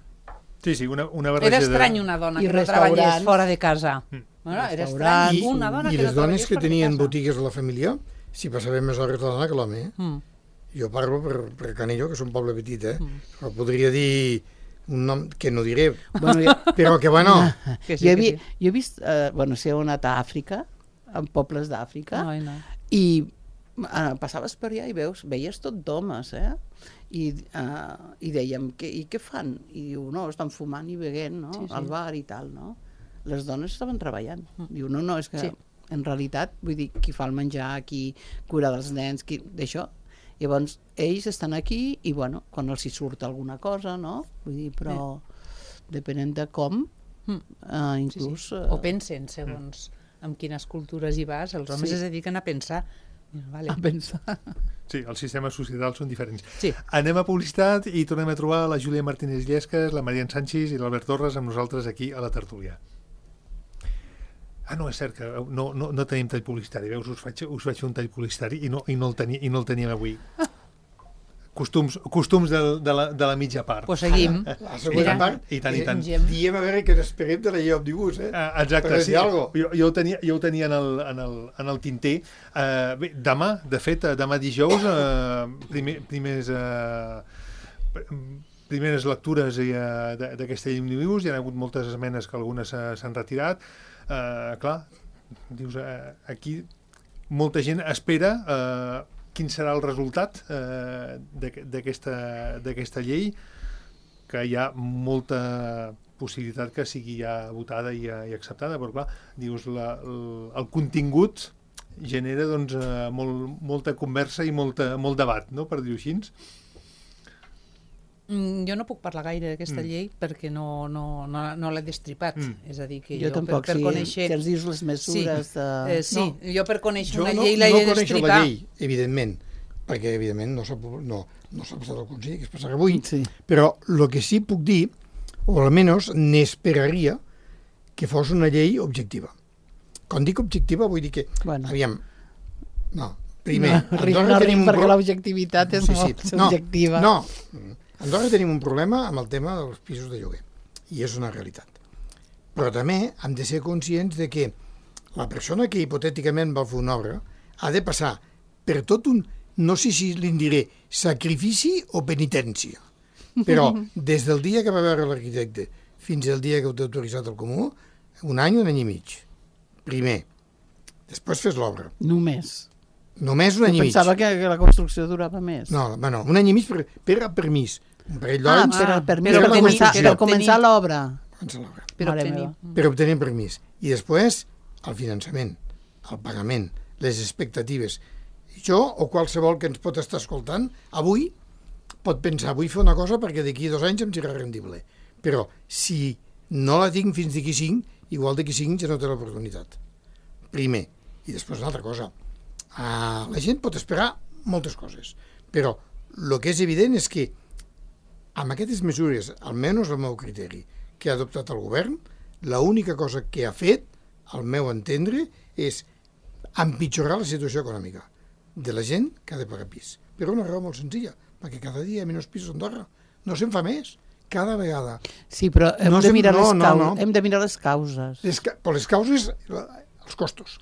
Sí, sí, una, una barreja Era de... estrany una dona I que no treballés restaurants. fora de casa. Bueno, era estrany I, una dona i que les no dones treballés que fora de tenien casa. botigues a la família, si passaven més hores a la dona que l'home, eh? Mm. Jo parlo per, per Canillo, que és un poble petit, eh? Però podria dir un nom que no diré, Bueno, jo, però que bueno... Que sí, jo, he, que vi, sí. jo he vist, eh, bueno, si heu anat a Àfrica, en pobles d'Àfrica, Ai, no. i eh, passaves per allà i veus, veies tot d'homes, eh? I, eh, i dèiem, què, i què fan? I diu, no, estan fumant i beguent, no? Sí, sí. Al bar i tal, no? Les dones estaven treballant. Diu, no, no, és que Sí. en realitat, vull dir, qui fa el menjar, qui cura dels nens, qui... d'això. Llavors, ells estan aquí i, bueno, quan els hi surt alguna cosa, no? Vull dir, però depenent de com, Mm. eh, inclús... Sí, sí. O pensen, segons amb quines cultures hi vas, els homes Sí. es dediquen a pensar. Vale. a pensar. Sí, els sistemes societals són diferents. Sí. Anem a publicitat i tornem a trobar la Júlia Martínez Llesques, la Marian Sánchez i l'Albert Torres amb nosaltres aquí a la tertúlia. Ah, no, és cert que no, no, no tenim tall publicitari. Veus, us faig, us faig un tall publicitari i no, i no, el, tenia, i no el teníem avui. Costums, costums de, de, la, de la mitja part. Pues seguim. La segona Mira, part, I tant, i tant. Engem. diem a veure què n'esperem de la llei òmnibus, eh? Ah, exacte, Per sí. dir algo. Jo, jo, ho tenia, jo ho tenia en el, en el, en el tinter. Uh, bé, demà, de fet, eh, demà dijous, uh, primer, primers, uh, primeres lectures uh, d'aquesta llei òmnibus. Hi ha hagut moltes esmenes que algunes s'han retirat. Uh, clar, dius, uh, aquí molta gent espera uh, quin serà el resultat uh, d'aquesta llei, que hi ha molta possibilitat que sigui ja votada i, i acceptada, però clar, dius, la, el, el contingut genera doncs, uh, molt, molta conversa i molta, molt debat, no?, per dir-ho així. Mm, jo no puc parlar gaire d'aquesta Mm. llei perquè no, no, no, no l'he destripat. Mm. És a dir, que Jo jo, tampoc, per, per sí, conèixer... que ens dius les mesures sí, de... eh, sí, No. jo per conèixer Jo una no, llei no l'he de coneixo destripar. la llei, evidentment, perquè evidentment no s'ha no, no s'ha passat al Consell, que es passarà avui, Sí. però el que sí puc dir, o almenys n'esperaria, que fos una llei objectiva. Quan dic objectiva vull dir que, Bueno. aviam, no, primer, no, ric, Andorra no ric tenim un perquè pro- l'objectivitat és molt no, subjectiva. No, a Andorra tenim un problema amb el tema dels pisos de lloguer, i és una realitat. Però també hem de ser conscients de que la persona que hipotèticament va fer una obra ha de passar per tot un, no sé si li'n diré, sacrifici o penitència. Però des del dia que va veure l'arquitecte fins al dia que ho té autoritzat el comú, un any, un any i mig. Primer. Després fes l'obra. Només. Només un any i mig. Pensava que, que la construcció durava més. No, bueno, un any i mig per, per a permís. Un parell Ah, d'anys per, Ah, per, però per, obtenir- començar, per per obtenir- començar l'obra. abans de l'obra. Per Mare obtenir. meva. Per obtenir permís. I després, el finançament, el pagament, les expectatives. Jo, o qualsevol que ens pot estar escoltant, avui pot pensar, vull fer una cosa perquè d'aquí dos anys em serà rendible. Però si no la tinc fins d'aquí cinc, igual d'aquí cinc ja no té l'oportunitat. Primer. I després una altra cosa. Uh, la gent pot esperar moltes coses, però el que és evident és que amb aquestes mesures, almenys el meu criteri, que ha adoptat el govern, l'única cosa que ha fet, al meu entendre, és empitjorar la situació econòmica de la gent que ha de pagar pis. Per una raó molt senzilla, perquè cada dia hi ha menys pisos a Andorra. No se'n fa més, cada vegada. Sí, però hem, No de, sem- mirar no, les no, cau... no. hem de mirar les causes. Les, ca- però les causes, els costos.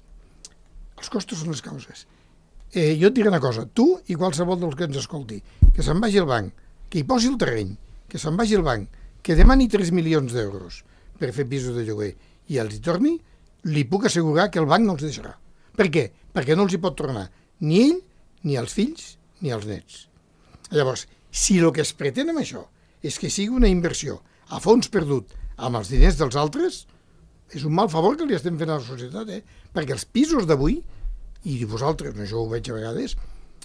Els costos són les causes. Eh, jo et diré una cosa, tu i qualsevol dels que ens escolti, que se'n vagi al banc, que hi posi el terreny, que se'n vagi al banc, que demani tres milions d'euros per fer pisos de lloguer i els hi torni, li puc assegurar que el banc no els deixarà. Per què? Perquè no els hi pot tornar ni ell, ni els fills, ni els nets. Llavors, si el que es pretén amb això és que sigui una inversió a fons perdut amb els diners dels altres, és un mal favor que li estem fent a la societat, eh? Perquè els pisos d'avui, i vosaltres, no, jo ho veig a vegades,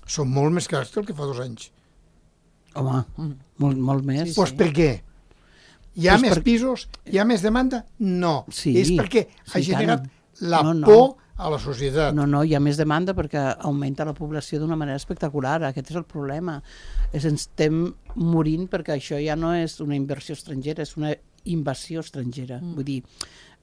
són molt més cars que el que fa dos anys. Home, molt, molt més. Sí, Doncs pues per què? Hi ha Pues més per- pisos? Hi ha més demanda? No. Sí, és perquè ha sí, generat tant. la No, no. por a la societat. No, no, hi ha més demanda perquè augmenta la població d'una manera espectacular. Aquest és el problema. És, ens estem morint perquè això ja no és una inversió estrangera, és una invasió estrangera. Mm. Vull dir,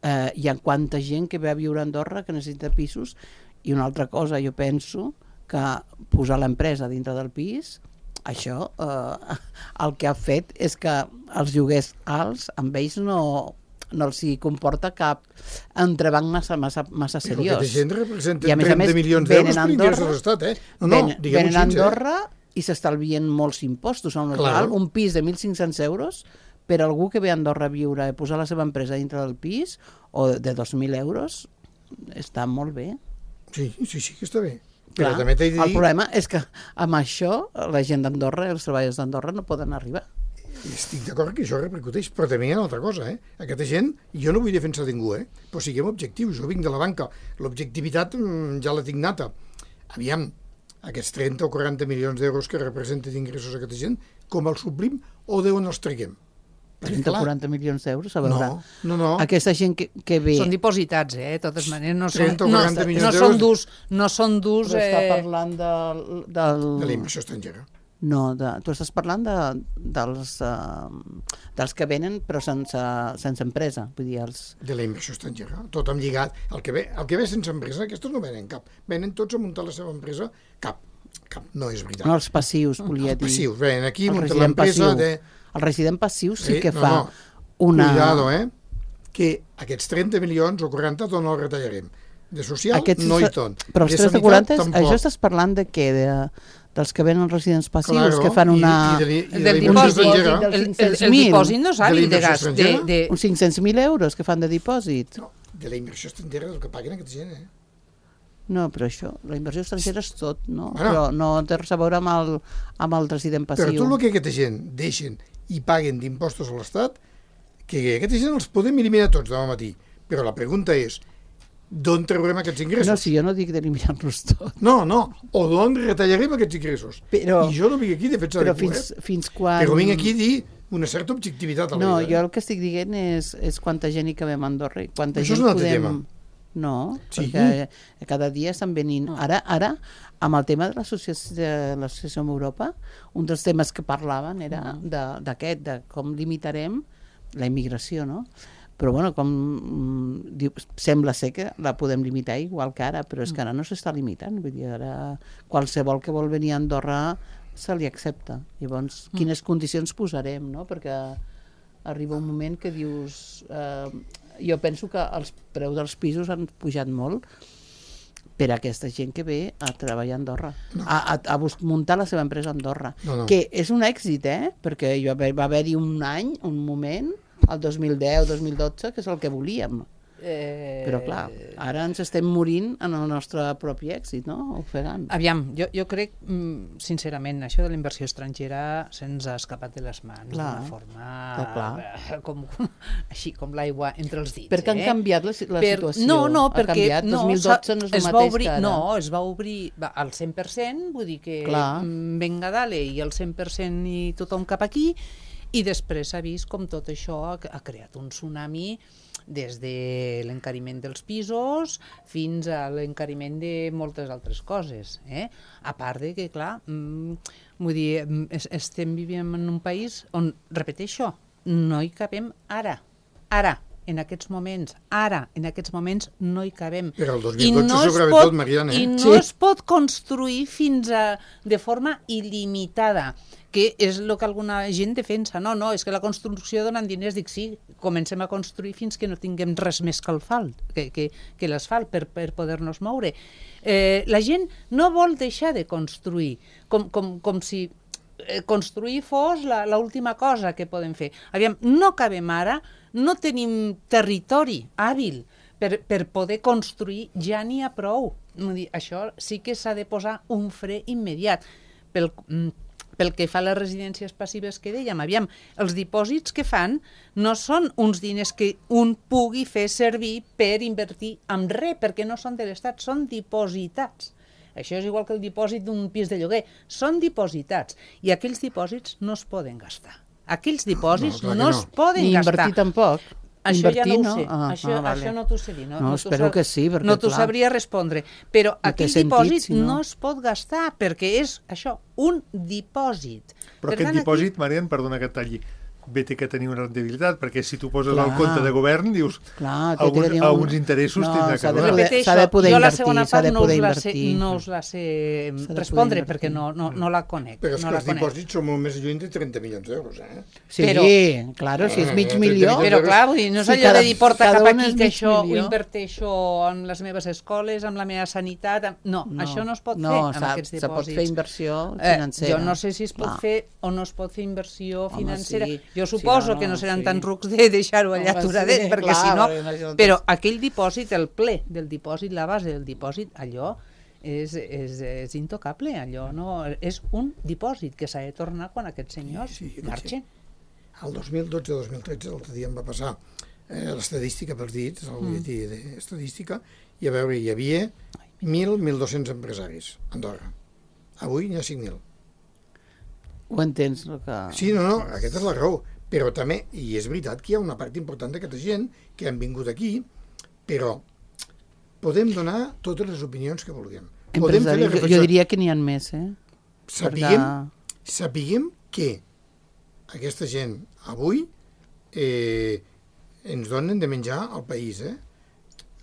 eh, hi ha quanta gent que ve a viure a Andorra que necessita pisos, i una altra cosa, jo penso que posar l'empresa dintre del pis, això eh, el que ha fet és que els lloguers alts amb ells no, no els hi comporta cap entrebanc massa, massa, massa seriós. Però aquesta gent representa I a més a trenta més, milions venen d'euros a per ingrés Andorra, de l'Estat, eh? No, no, venen, diguem-ho venen a així, Andorra i s'estalvien molts impostos. En Clar. un pis de mil cinc-cents euros per algú que ve a Andorra a viure i posar la seva empresa dintre del pis o de dos mil euros està molt bé. Sí, sí, sí que està bé. Clar, Però també t'he de dir... el problema és que amb això la gent d'Andorra, els treballadors d'Andorra no poden arribar. Estic d'acord que això repercuteix, però també hi ha una altra cosa, eh? Aquesta gent, jo no vull defensar ningú, eh? Però siguem objectius, jo vinc de la banca, l'objectivitat mm, ja la tinc nata. Aviam, aquests trenta o quaranta milions d'euros que representen d'ingressos a aquesta gent, com els suplim o d'on els treguem? trenta o quaranta milions d'euros, a veure. No, no, no. Aquesta gent que, que ve... Són dipositats, eh? De totes maneres, no són, trenta o no, quaranta milions no d'euros. són durs, no són durs... Però està Eh... parlant del... del... De la inversió estrangera. No, de, tu estàs parlant de, dels, uh, dels que venen però sense, sense empresa, vull dir, els... De la inversió estrangera, tot amb lligat. El que ve, el que ve sense empresa, aquests no venen cap. Venen tots a muntar la seva empresa, cap. Cap, no és veritat. No, els passius, volia Els dir. passius, venen aquí, El munten resident l'empresa... passiu. De... El resident passiu sí que no, fa no. una... Cuidado, eh? Que aquests trenta milions o quaranta d'on els retallarem. De social, Aquests no hi tres- tot. Però els de trenta sanitat, quaranta, tampoc. això estàs parlant de què? De, dels que venen residents passius, Claro, que fan una... I, i de, i de Del la inversió dipòsit, estrangera. del- el, el, el cinc-cents mil. dipòsit no De sàlid la de inversió gas. De, estrangera? de... Uns cinc-cents mil euros que fan de dipòsit. No, de la inversió estrangera del que paguen aquesta gent, eh? No, però això, la inversió estrangera és tot, no? Bueno. Però no té res a veure amb el, amb el resident Però passiu. tot el que aquesta gent deixen i paguen d'impostos a l'Estat, que aquesta gent els podem eliminar tots demà matí. Però la pregunta és, d'on traurem aquests ingressos? No, si jo no dic d'eliminar-los tot. No, no, o d'on retallarem aquests ingressos? Però- I jo no vinc aquí a defensar Però ningú, fins, eh? fins quan... Però vinc aquí a dir una certa objectivitat a la No, vida. jo el que estic dient és, és quanta gent hi cabem a Andorra i quanta Això és gent un altre podem... tema. No, Sí. perquè cada dia estan venint... Ara, ara amb el tema de l'associació de l'associació amb Europa, un dels temes que parlaven era de- d'aquest, de com limitarem la immigració, no? Però, bueno, com mm, diu, sembla ser que la podem limitar igual que ara, però és que ara no s'està limitant. Vull dir, ara qualsevol que vol venir a Andorra se li accepta. Llavors, quines condicions posarem, no? Perquè arriba un moment que dius... Eh, jo penso que els preus dels pisos han pujat molt per a aquesta gent que ve a treballar a Andorra, no. a, a, a bus- muntar la seva empresa a Andorra. No, no. Que és un èxit, eh? Perquè jo, va haver-hi un any, un moment, el dos mil deu dos mil dotze, que és el que volíem. Eh... Però, clar, ara ens estem morint en el nostre propi èxit, no? Ofegant. Aviam, jo, jo crec, mm, sincerament, això de la inversió estrangera se'ns ha escapat de les mans Clar. d'una forma Clar, clar. eh, com, com, així com l'aigua entre els dits. Perquè han eh? canviat la, si- la Per- situació. No, no, ha perquè canviat. no, dos mil dotze no és el es va mateix obrir, que ara. No, es va obrir va, al cent per cent, vull dir que Clar. mm, venga dale i el cent per cent i tothom cap aquí, i després s'ha vist com tot això ha, ha creat un tsunami des de l'encariment dels pisos fins a l'encariment de moltes altres coses. Eh? A part de que, clar, mm, vull dir, mm, es, estem vivint en un país on, repeteixo, no hi cabem ara. Ara, en aquests moments, ara, en aquests moments, no hi cabem. Però el dos I mil dotze no es sobretot, pot- Mariana, eh? I no Sí. es pot construir fins a, de forma il·limitada, que és el que alguna gent defensa. No, no, és que la construcció donen diners. Dic, sí, comencem a construir fins que no tinguem res més que l'asfalt, que, que, que l'asfalt per, per poder-nos moure. Eh, la gent no vol deixar de construir, com, com, com si eh, construir fos l'última cosa que podem fer. Aviam, no cabem ara, no tenim territori hàbil per, per poder construir, ja n'hi ha prou. Vull dir, això sí que s'ha de posar un fre immediat. Pel, mm, pel que fa a les residències passives que dèiem, aviam, els dipòsits que fan no són uns diners que un pugui fer servir per invertir en res, perquè no són de l'Estat, són dipositats. Això és igual que el dipòsit d'un pis de lloguer, són dipositats, i aquells dipòsits no es poden gastar. Aquells dipòsits No, clar que no, no. es poden Ni gastar. invertir tampoc. Això Invertir, ja no ho no? sé, Ah, això, ah, vale. això no t'ho sé dir. No, No, t'ho espero sab- que sí, perquè, no t'ho clar. sabria respondre, però No té aquell sentit, dipòsit si no. no es pot gastar, perquè és això, un dipòsit. Però Per aquest tant, dipòsit, Marian, perdona que et talli, bé té que tenir una rendibilitat, perquè si tu poses Clar. el compte de govern, dius, Clar, té que alguns, tenir un- alguns interessos No, tindrà s'ha que de donar. poder- Repeteixo, s'ha de poder jo la invertir, segona s'ha part de no poder us, la sé, invertir. no us la sé S'ha de respondre poder perquè no, no, no la conec. Però és no que la els conec. dipòsits són molt més lluny de trenta milions d'euros, eh? Sí, Però- claro, si és mig Eh, milió... trenta Però clar, vull dir, no és Sí, allò cada- de dir porta cada cap un aquí és que mig això ho milió. inverteixo en les meves escoles, amb la meva sanitat... Amb... No, No, això no es pot no, fer amb s'ha- aquests se pot dipòsits. fer inversió Eh, financera. jo no sé si es pot Clar. fer o no es pot fer inversió Home, financera. sí. Jo Sí, suposo no, no, que no seran sí. tan rucs de deixar-ho allà Home, aturadet, sí, perquè clar, si no... perquè no, això no Però té- aquell dipòsit, el ple del dipòsit, la base del dipòsit, allò és, és, és intocable, allò no... És un dipòsit que s'ha de tornar quan aquests senyors Sí, sí, marxen. El dos mil dotze dos mil tretze, l'altre dia em va passar eh, l'estadística pels dits, el butlletí d'estadística, i a veure, hi havia mil, mil dos-cents empresaris a Andorra. Avui n'hi ha cinc mil. Ho entens, el que... Sí, no, no, aquesta és la raó. Però també, i és veritat que hi ha una part important d'aquesta gent que han vingut aquí, però podem donar totes les opinions que vulguem. Podem fer les Empresaris, jo, jo reflexions. diria que n'hi ha més, eh? Sapiguem, Perquè- sapiguem que aquesta gent avui eh, ens donen de menjar al país. Eh?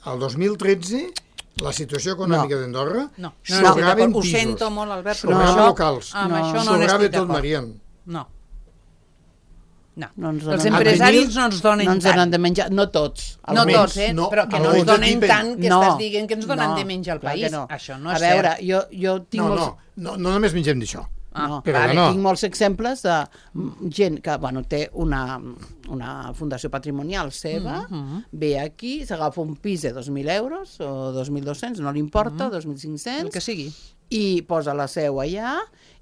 El dos mil tretze, la situació econòmica No. d'Andorra, No, no, no estic sobraven d'acord. Ho pisos, sento molt, Albert, però sobraven això- locals, amb No. això no sobrava n'estic tot, d'acord. Marian. No. No. No ens Els donen- empresaris no ens donen no ens tant. donen de menjar, no tots. No Almenys, tots, eh? no, però que no almenys ens donen d'aquí tant que no, estàs dient que ens donen no, de menjar al clar que país. no. Això no A és veure, cert. jo, jo tinc No, molts... no, no, no només mengem d'això. Ah, no, però vale, no. tinc molts exemples de mm, gent que bueno, té una, una fundació patrimonial seva, mm -hmm. ve aquí, s'agafa un pis de dos mil euros o dos mil dos-cents, no li importa, mm -hmm. dos mil cinc-cents, El que sigui. i posa la seu allà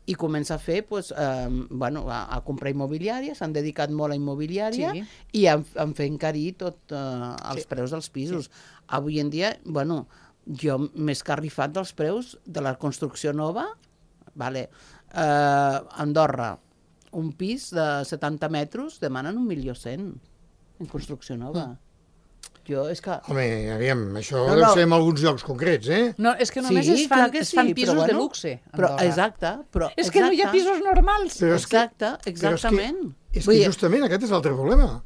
i comença a fer, pues, eh, bueno, a, a comprar immobiliària, s'han dedicat molt a immobiliària Sí. i han, han fet encarir tot eh, els Sí. preus dels pisos. Sí. Avui en dia, bueno, jo m'he escarrifat dels preus de la construcció nova, vale. eh, Andorra, un pis de setanta metres demanen un milió cent en construcció nova. Mm. Jo, és que... Home, aviam, això No, deu no. ser en alguns llocs concrets, eh? No, és que només Sí, es fan, clar que es fan sí, pisos però de bueno, luxe. a Però, Andorra. exacte, però... És que no hi ha exacte. pisos normals. Però és que- Exacte, exactament. Però és que, és Vull que dir, justament aquest és l'altre problema.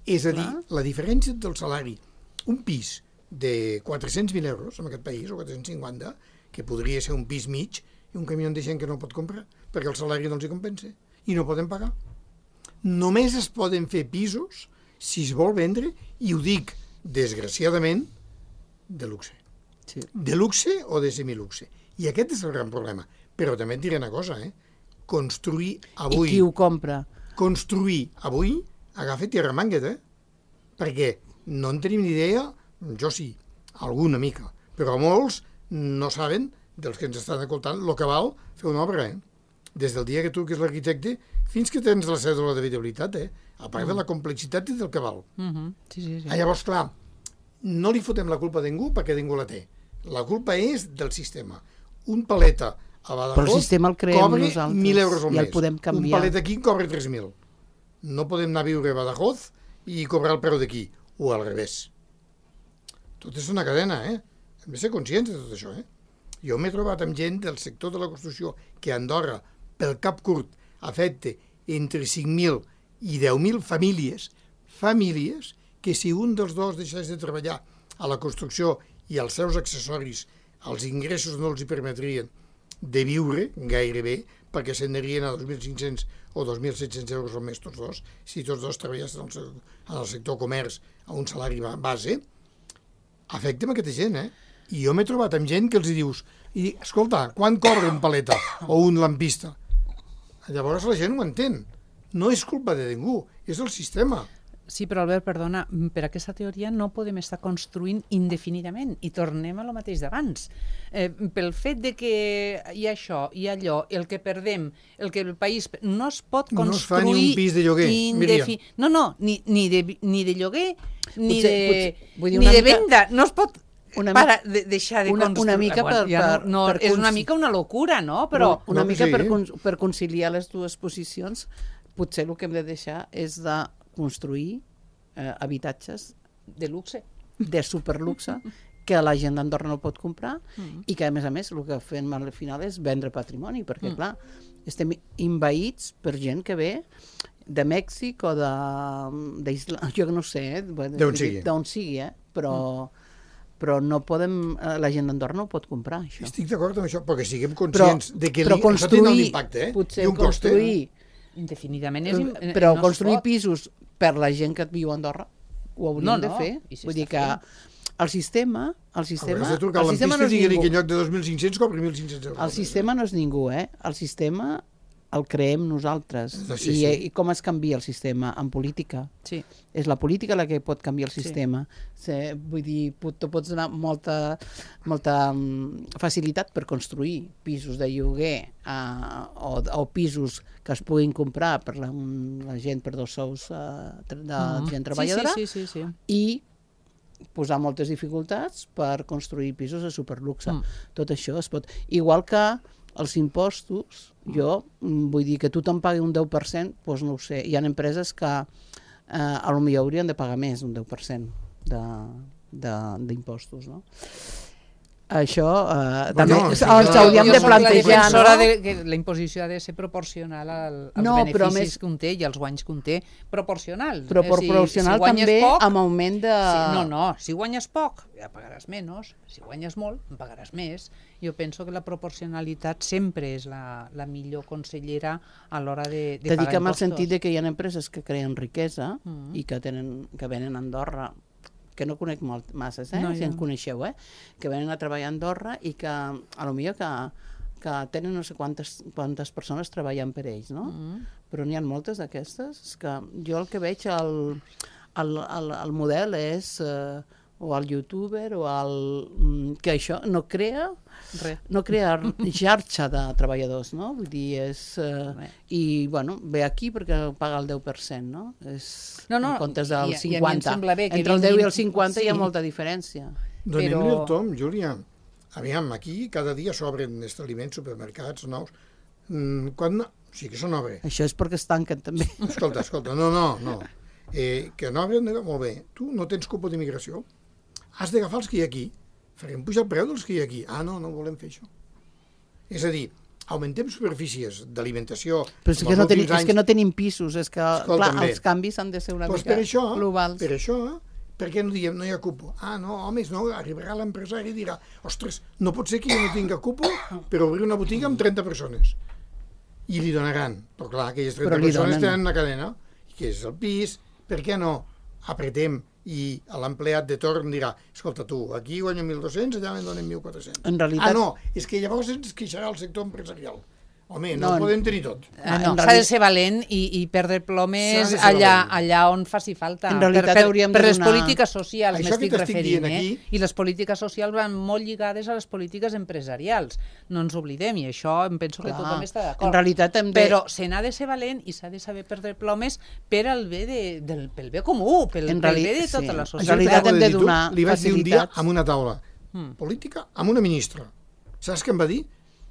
És a dir, Clar. la diferència del salari, un pis de quatre-cents mil euros en aquest país, o quatre-cents cinquanta, que podria ser un pis mig, i un camió de gent que no pot comprar, perquè el salari no els hi compensa, i no poden pagar. Només es poden fer pisos si es vol vendre, i ho dic, desgraciadament, de luxe. Sí. De luxe o de semiluxe. I aquest és el gran problema. Però també et diré una cosa, eh? Construir avui... I qui ho compra? Construir avui, agafa tierra manguet, eh? Perquè no en tenim ni idea, jo sí, alguna mica, però molts no saben, dels que ens estan escoltant, el que val fer una obra, eh? Des del dia que tu, que és l'arquitecte, fins que tens la cèdula d'habitabilitat, eh? A part de la complexitat i del que val. Uh -huh. Sí, sí, sí. Ah, llavors, clar, no li fotem la culpa a ningú perquè ningú la té. La culpa és del sistema. Un paleta a Badajoz Però el sistema el creem cobra nosaltres mil euros al i el mes. podem canviar. Un paleta aquí cobra tres mil. No podem anar a viure a Badajoz i cobrar el preu d'aquí, o al revés. Tot és una cadena, eh? Hem de ser conscients de tot això, eh? Jo m'he trobat amb gent del sector de la construcció que a Andorra, pel cap curt, afecta entre cinc mil i deu mil famílies, famílies que si un dels dos deixés de treballar a la construcció i els seus accessoris, els ingressos no els hi permetrien de viure gairebé, perquè s'anarien a dos mil cinc-cents o dos mil set-cents euros al mes tots dos, si tots dos treballessin en el sector comerç a un salari base, afecta amb aquesta gent, eh? I jo m'he trobat amb gent que els hi dius, i escolta, quan cobra un paleta o un lampista? Llavors la gent ho entén. No és culpa de ningú, és el sistema. Sí, però Albert, perdona, per aquesta teoria no podem estar construint indefinidament i tornem a lo mateix d'abans. Eh, pel fet de que hi ha això, hi ha allò, el que perdem, el que el país... No es pot construir... No es fa ni un pis de lloguer, Míriam. No, no, ni, ni, de, ni de lloguer, ni Potser- de, potser- vull dir, ni una de mica- venda. No es pot una para de deixar de una- construir. una mica per- ja per- no, no, per és una cons- mica una locura, no? Però... Una No, mica sí. per, cons- per conciliar les dues posicions, potser el que hem de deixar és de construir eh, habitatges De luxe. de superluxe que la gent d'Andorra no pot comprar Mm. i que, a més a més, el que fem al final és vendre patrimoni, perquè, clar, estem envaïts per gent que ve de Mèxic o d'Islàndia, jo no sé, eh? D'on sigui. D'on sigui, eh? Però, però no podem, la gent d'Andorra no ho pot comprar, això. Estic d'acord amb això, perquè siguem conscients però, de que però li, això té un impacte, eh? Potser I un cost, construir... eh? Indefinidament és... Però no construir pisos per la gent que viu a Andorra ho hauríem no, no. de fer. Si Vull dir que el sistema... El sistema, Hauràs de trucar el a sistema l'ampista no i és dir-li ningú. que en lloc de dos mil cinc-cents cobri mil cinc-cents euros. El sistema no és ningú, eh? El sistema el creem nosaltres. Sí, I, sí. I com es canvia el sistema? En política. Sí. És la política la que pot canviar el Sí. sistema. Sí. Vull dir, tu pots donar molta, molta facilitat per construir pisos de lloguer uh, o, o pisos que es puguin comprar per la, la gent, per dos sous uh, de mm. gent treballadora, sí, sí, sí, sí. i posar moltes dificultats per construir pisos de superluxe. Mm. Tot això es pot... Igual que els impostos, jo vull dir que tothom pagui un deu per cent, doncs no ho sé. Hi ha empreses que eh, a lo millor haurien de pagar més d'un deu per cent d'impostos, no? Això eh, Bueno, també això- ens hauríem Jo de soc la plantejar, defensora no? de que la imposició ha de ser proporcional al, als No, però beneficis més- que un té i als guanys que un té. Proporcional. Però Eh, proporcional si guanyes també poc, amb augment de... Sí, no, no, si guanyes poc, ja pagaràs menys, si guanyes molt, en pagaràs més. Jo penso que la proporcionalitat sempre és la, la millor consellera a l'hora de, de Te pagar dic amb el impostos. sentit de que hi ha empreses que creen riquesa Mm. i que, tenen, que venen a Andorra, que no conec molt masses, eh? No, si jo en no. coneixeu, eh? que venen a treballar a Andorra i que a lo millor que, que tenen no sé quantes, quantes persones treballant per ells, no? Mm. Però n'hi ha moltes d'aquestes. És que jo el que veig, el, el, el, el model és eh, o el youtuber o el... mm, que això no crea Res. no crea xarxa de treballadors, no? Vull dir, és... Eh, Bé. I, bueno, ve aquí perquè paga el deu per cent, no? És, No, no, en comptes i a- del i a mi em cinquanta. sembla bé que Entre el deu i vinguin- el cinquanta hi ha sí. molta diferència. Donem-li Però- el tom, Júlia. Aviam, aquí cada dia s'obren establiments, supermercats nous. Mm, quan no... Sí que són obres. Això és perquè es tanquen, també. Escolta, escolta, no, no, no. Eh, que no obren, molt bé. Tu no tens cupo d'immigració. Has d'agafar els que hi ha aquí. Farem pujar el preu dels que hi ha aquí. Ah, no, no volem fer això. És a dir, augmentem superfícies d'alimentació. Però és amb que, els no tenim, últims és que anys. no tenim pisos, és que Escolta'm clar, bé. els canvis han de ser una Doncs mica per això, globals. per això, per què no diem no hi ha cupo? Ah, no, homes, no, arribarà l'empresari i dirà ostres, no pot ser que jo no tinga cupo per obrir una botiga amb trenta persones. I li donaran. Però clar, aquelles trenta Però li persones donen. tenen una cadena, que és el pis, per què no apretem i l'empleat de torn dirà escolta tu, aquí guanyo mil dos-cents, allà me'n donen mil quatre-cents. En realitat- Ah, no, és que llavors ens queixarà el sector empresarial. Home, no, No, ho podem tenir tot. Eh, En no, s'ha reali- de ser valent i, i perdre plomes S'ha de ser allà, valent. allà on faci falta. En realitat per, per, hauríem per de les donar- polítiques socials Això m'estic que t'estic referint, dient eh? aquí- I les polítiques socials van molt lligades a les polítiques empresarials. No ens oblidem, i això em penso que Clar. tothom està d'acord. En realitat hem de... Però se n'ha de ser valent i s'ha de saber perdre plomes per al bé de, del, pel bé comú, pel, En pel reali- bé de tota sí. la En societat. realitat Això hem t'ho de dir tu. donar Li vaig dir un dia facilitats. amb una taula Mm. política, amb una ministra. Saps què em va dir?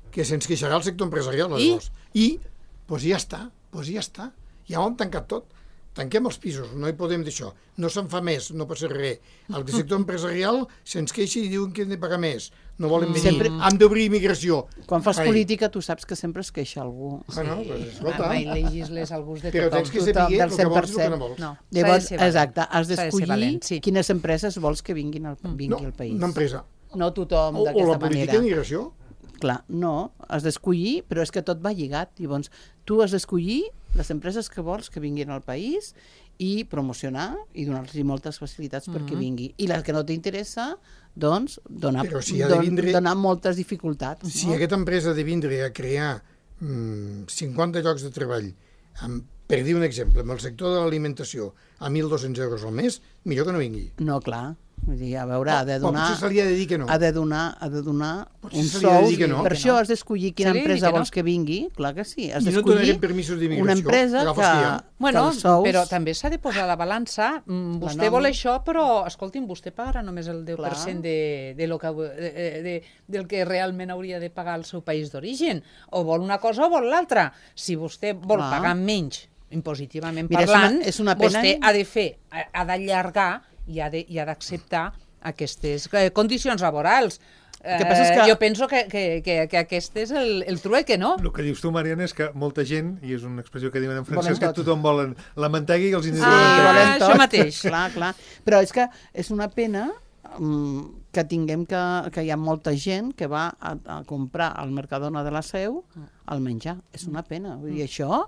Que se'ns queixarà el sector empresarial. I? Llavors. I, doncs ja està, doncs ja està. Ja ho hem tancat tot. Tanquem els pisos, no hi podem dir això. No se'n fa més, no passa res. El sector empresarial se'ns queixa i diuen que hem de pagar més. No volen venir. Sempre- Hem d'obrir immigració. Quan fas Ai, política tu saps que sempre es queixa algú. Bueno, doncs, escolta, Mai legisles al gust de però tothom. tens que tothom, saber del el que cent per vols i el que cent. no vols. No, Llavors, s'ha de ser valent. exacte, has S'ha de ser d'escollir valent, sí. quines empreses vols que vinguin al, vingui No, al país. una empresa. No tothom O, o d'aquesta la política manera. d'immigració. Clar, no, has d'escollir, però és que tot va lligat. Llavors, tu has d'escollir les empreses que vols que vinguin al país i promocionar i donar-los moltes facilitats perquè vingui. I les que no t'interessa, doncs, donar, Però si ha de don, vindre- donar moltes dificultats. Si no? aquesta empresa ha de vindre a crear mm, cinquanta llocs de treball, amb, per dir un exemple, amb el sector de l'alimentació, a mil dos-cents euros al mes, millor que no vingui. No, clar. Vull dir, a veure, ha de O donar... potser se li ha de dir que no. Ha de donar, ha de donar Potser un se li ha de sou. dir que no. Per Que això no. has d'escollir quina Se li ha de dir empresa que no. vols que vingui. Clar que sí. Has I no d'escollir donarem permisos d'immigració. una empresa Agafes que, que hi ha. Bueno, que els sous... però també s'ha de posar a la balança. Mm, Vostè nòmina. vol això, però, escolti'm, vostè pagarà només el deu per cent Clar. de, de lo que, de, de, del que realment hauria de pagar el seu país d'origen. O vol una cosa o vol l'altra. Si vostè vol Clar. pagar menys, impositivament Mira, és parlant, una- és una pena- vostè ha de fer, ha ha d'allargar i ha de- i ha d'acceptar aquestes eh, condicions laborals. Eh, que que... Jo penso que, que, que, que aquest és el, el trueque, no? El que dius tu, Mariana, és que molta gent, i és una expressió que diuen en francès, que tothom volen la mantega i els indis ah, la mantega. Això mateix. Clar, clar. Però és que és una pena um, que tinguem que, que hi ha molta gent que va a, a comprar al Mercadona de la Seu al menjar. És una pena. Vull dir, això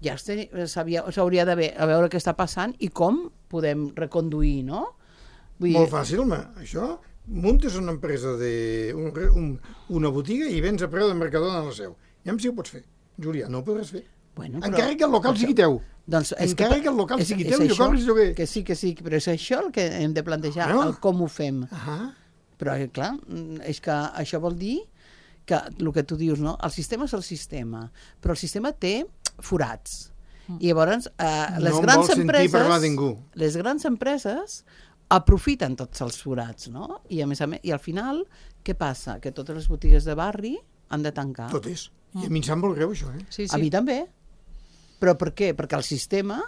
ja s'hauria de a veure què està passant i com podem reconduir, no? Vull dir... Molt fàcil, home. Això, muntes una empresa, de un, un, una botiga i vens a preu del Mercadona de la Seu. Ja si ho pots fer. Julià, no ho podràs fer. Bueno, però... Encara que el local sigui teu. Doncs encara que, que el local és, sigui teu i ho cobris lloguer. Que sí, que sí, però és això el que hem de plantejar, no? El com ho fem. Uh -huh. Però, clar, és que això vol dir que el que tu dius, no? El sistema és el sistema, però el sistema té forats. Mm. I llavors, eh, les no grans empreses... No empreses, parlar ningú. Les grans empreses aprofiten tots els forats, no? I, a més a més, i al final, què passa? Que totes les botigues de barri han de tancar. Totes. I a mi em sap molt greu, això, eh? Sí, sí. A mi també. Però per què? Perquè el sistema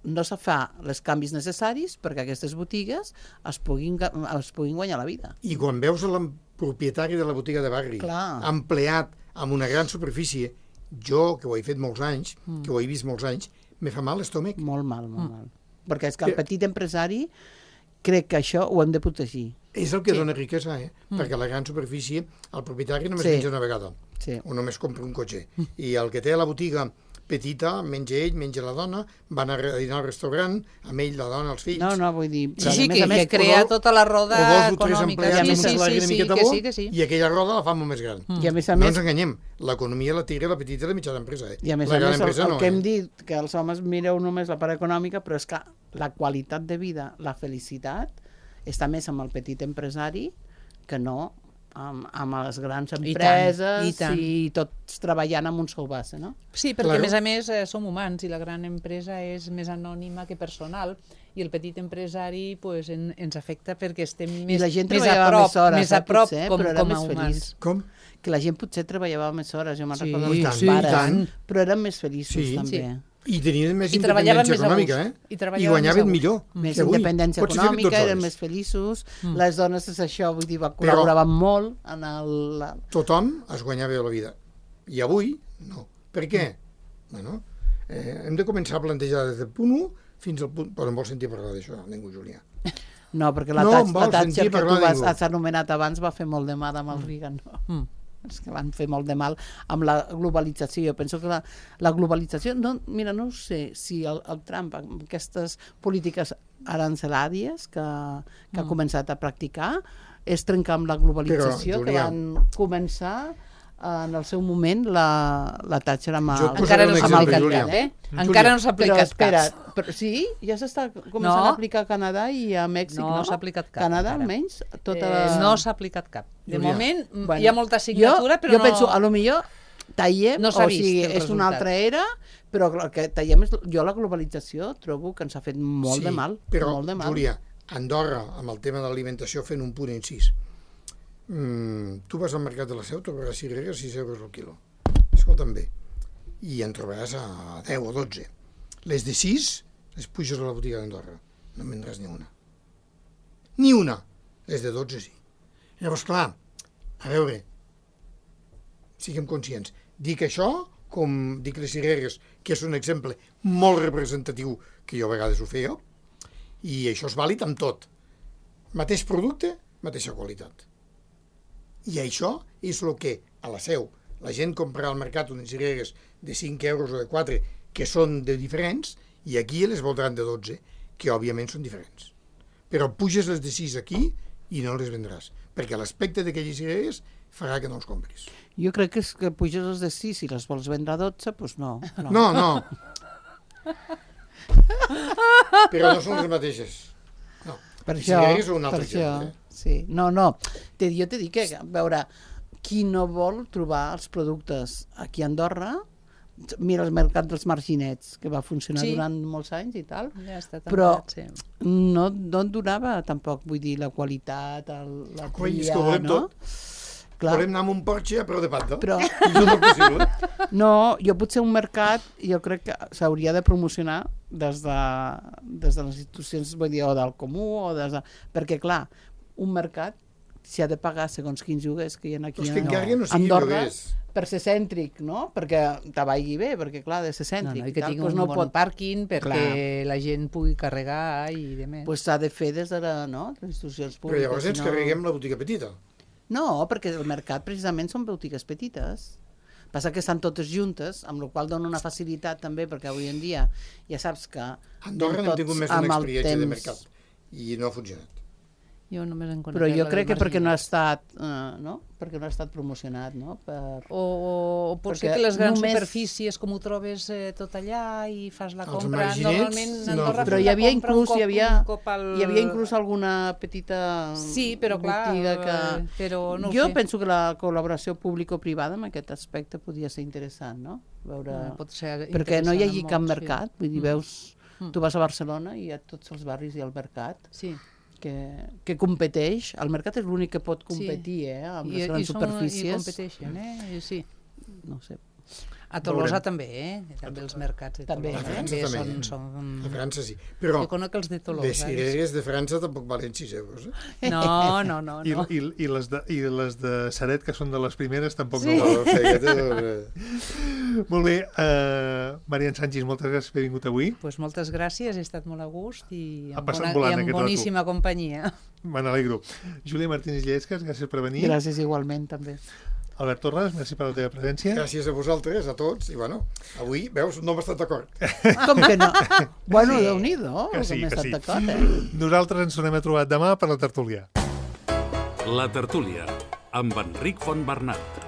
no se fa els canvis necessaris perquè aquestes botigues es puguin, es puguin guanyar la vida. I quan veus el propietari de la botiga de barri Clar. empleat amb una gran superfície, jo, que ho he fet molts anys, mm. que ho he vist molts anys, me fa mal l'estómac. Molt mal, molt mm. mal. Perquè és que el petit empresari crec que això ho hem de protegir. És el que sí. dona riquesa, eh? Mm. Perquè la gran superfície, el propietari només sí. menja una vegada. Sí. O només compra un cotxe. Mm. I el que té a la botiga petita, menja ell, menja la dona, van a dinar al restaurant, amb ell, la dona, els fills... No, no, vull dir... Sí, sí, que, que crea vol, tota la roda econòmica. O dos o tres empleats sí, amb un salari sí, una sí, miqueta que bo, sí, que sí. I aquella roda la fa molt més gran. Mm. I a més a no més... ens enganyem, l'economia la tira la petita i la mitjana empresa, eh? I a més la a més, el, el no, que hem eh? dit, que els homes mireu només la part econòmica, però és que la qualitat de vida, la felicitat, està més amb el petit empresari que no amb, amb les grans empreses i, tant, i, tant. i tots treballant amb un sol base, no? Sí, perquè claro. a més a més eh, som humans i la gran empresa és més anònima que personal i el petit empresari pues, en, ens afecta perquè estem més, la gent més a prop, més, hores, més a prop potser, com, com a humans. Feliç. Com? Que la gent potser treballava més hores, jo me'n sí, recordo els sí, pares, tant. però eren més feliços sí, també. Sí. I tenien més I independència econòmica, eh? I, I guanyaven millor. Més independència econòmica, eren més feliços, mm. les dones és això, vull dir, col·laboraven molt en el... La... Tothom es guanyava la vida. I avui, no. Per què? Mm. Bueno, eh, hem de començar a plantejar des del punt u fins al punt... Però no vols sentir parlar d'això, ningú, Julià. No, perquè la, no, la Thatcher que tu vas, has anomenat abans va fer molt de mal amb el mm. Reagan, no? Mm. És que van fer molt de mal amb la globalització. Jo penso que la, la globalització... No, mira, no sé si el, el Trump, amb aquestes polítiques arancelàries que, que mm. ha començat a practicar, és trencar amb la globalització, Però, Julià, que van començar en el seu moment la, la Thatcher amb el, encara no s'ha aplicat, eh? Encara no s'ha aplicat espera, però sí, ja s'està començant no. a aplicar a Canadà i a Mèxic, no? No s'ha aplicat cap. Canadà, almenys? Tota eh, la... No s'ha aplicat cap. De Julià. moment bueno, hi ha molta signatura, jo, però jo no... Jo penso, a lo millor tallem, no o vist sigui, és resultat. una altra era, però el que tallem és... Jo la globalització trobo que ens ha fet molt sí, de mal. Però, molt de mal. Júlia, Andorra, amb el tema de l'alimentació, fent un punt incís. Mm, tu vas al mercat de la Seu, trobaràs cireres sis euros al quilo. Escolta'm bé. I en trobaràs a deu o dotze. Les de sis, les puges a la botiga d'Andorra. No en vendràs ni una. Ni una. Les de dotze sí. Llavors, clar, a veure, siguem conscients. Dic això, com dic les cireres, que és un exemple molt representatiu, que jo a vegades ho feia, i això és vàlid amb tot. Mateix producte, mateixa qualitat. I això és el que a la Seu la gent comprarà al mercat unes cireres de cinc euros o de quatre que són de diferents i aquí les voldran de dotze, que òbviament són diferents. Però puges les de sis aquí i no les vendràs, perquè l'aspecte d'aquelles cireres farà que no els compris. Jo crec que és que puges les de sis i les vols vendre a dotze, doncs no. No, no. no. Però no són les mateixes. No. Per això, cireres són un altre per això, exemple. Eh? Sí. No, no. Te, jo t'he dit que, a veure, qui no vol trobar els productes aquí a Andorra, mira el mercat dels marginets, que va funcionar sí. durant molts anys i tal, ja està tancat, però sí. no, no et donava tampoc, vull dir, la qualitat, el, la Coi, tria, és que volem no? tot. Clar. Volem anar amb un Porsche a preu de pata. Però... no és possible. No, jo potser un mercat, jo crec que s'hauria de promocionar des de, des de les institucions, vull dir, o del comú, o des de... perquè clar, un mercat s'hi ha de pagar segons quins lloguers que hi ha aquí Però és que a encara no sigui Andorra, lloguers. per ser cèntric, no? Perquè te vagi bé, perquè clar, de ser No, cèntric no, i i que tal, tingui doncs un no bon pot... pàrquing perquè Clar. la gent pugui carregar i de més. Pues s'ha de fer des de la, no? les institucions Però públiques. llavors ens si no- carreguem la botiga petita. No, perquè el mercat precisament són botigues petites. Passa que estan totes juntes, amb la qual dona una facilitat també, perquè avui en dia ja saps que... A Andorra anem n'hem tots tingut més amb d'una el experiència de temps. mercat i no ha funcionat. Jo només en conec Però jo la crec del que perquè no ha Marginal. estat, uh, no? perquè no ha estat promocionat, no? Per... O, o pot ser Perquè que les grans només- superfícies, com ho trobes eh, tot allà i fas la Els compra, marginets, normalment a no. Andorra Però fas hi la havia compra un inclús, cop- hi havia, un cop al... hi havia inclús alguna petita Sí, però clar, botiga que... eh, però no ho jo sé. penso que la col·laboració público-privada en aquest aspecte podria ser interessant, no? Veure... Ah, pot ser perquè no hi hagi interessant cap en molts, mercat, vull dir, Mm. veus, Mm. tu vas a Barcelona i a tots els barris hi ha el mercat, Sí. que, que competeix, el mercat és l'únic que pot competir, Sí. eh, amb I, les grans i són, superfícies. I competeixen, eh? I sí. No sé. A Tolosa Veurem. també, eh? També els mercats de També, Tolosa. A França també també. Són, són... A França sí. Però Jo conec els de Tolosa. les cireres de França tampoc valen sis euros. Eh? No, no, no. I, no. i, i, les de, I les de Saret, que són de les primeres, tampoc Sí. no No, valen. o sigui, aquest és... Molt bé, uh, Marian Sánchez, moltes gràcies per haver vingut avui. Pues moltes gràcies, he estat molt a gust i Ha amb, passat bona, volant i amb aquest rato. boníssima companyia. Me n'alegro. Júlia Martínez Llesques, gràcies per venir. Gràcies igualment, també. Albert Torres, merci per la teva presència. Gràcies a vosaltres, a tots, i bueno, avui, veus, no hem estat d'acord. Com que no? Bueno, Déu-n'hi-do, Que sí, m'he que estat sí. d'acord, eh? Nosaltres ens tornem a trobar demà per la tertúlia. La tertúlia, amb Enric Fontbernat.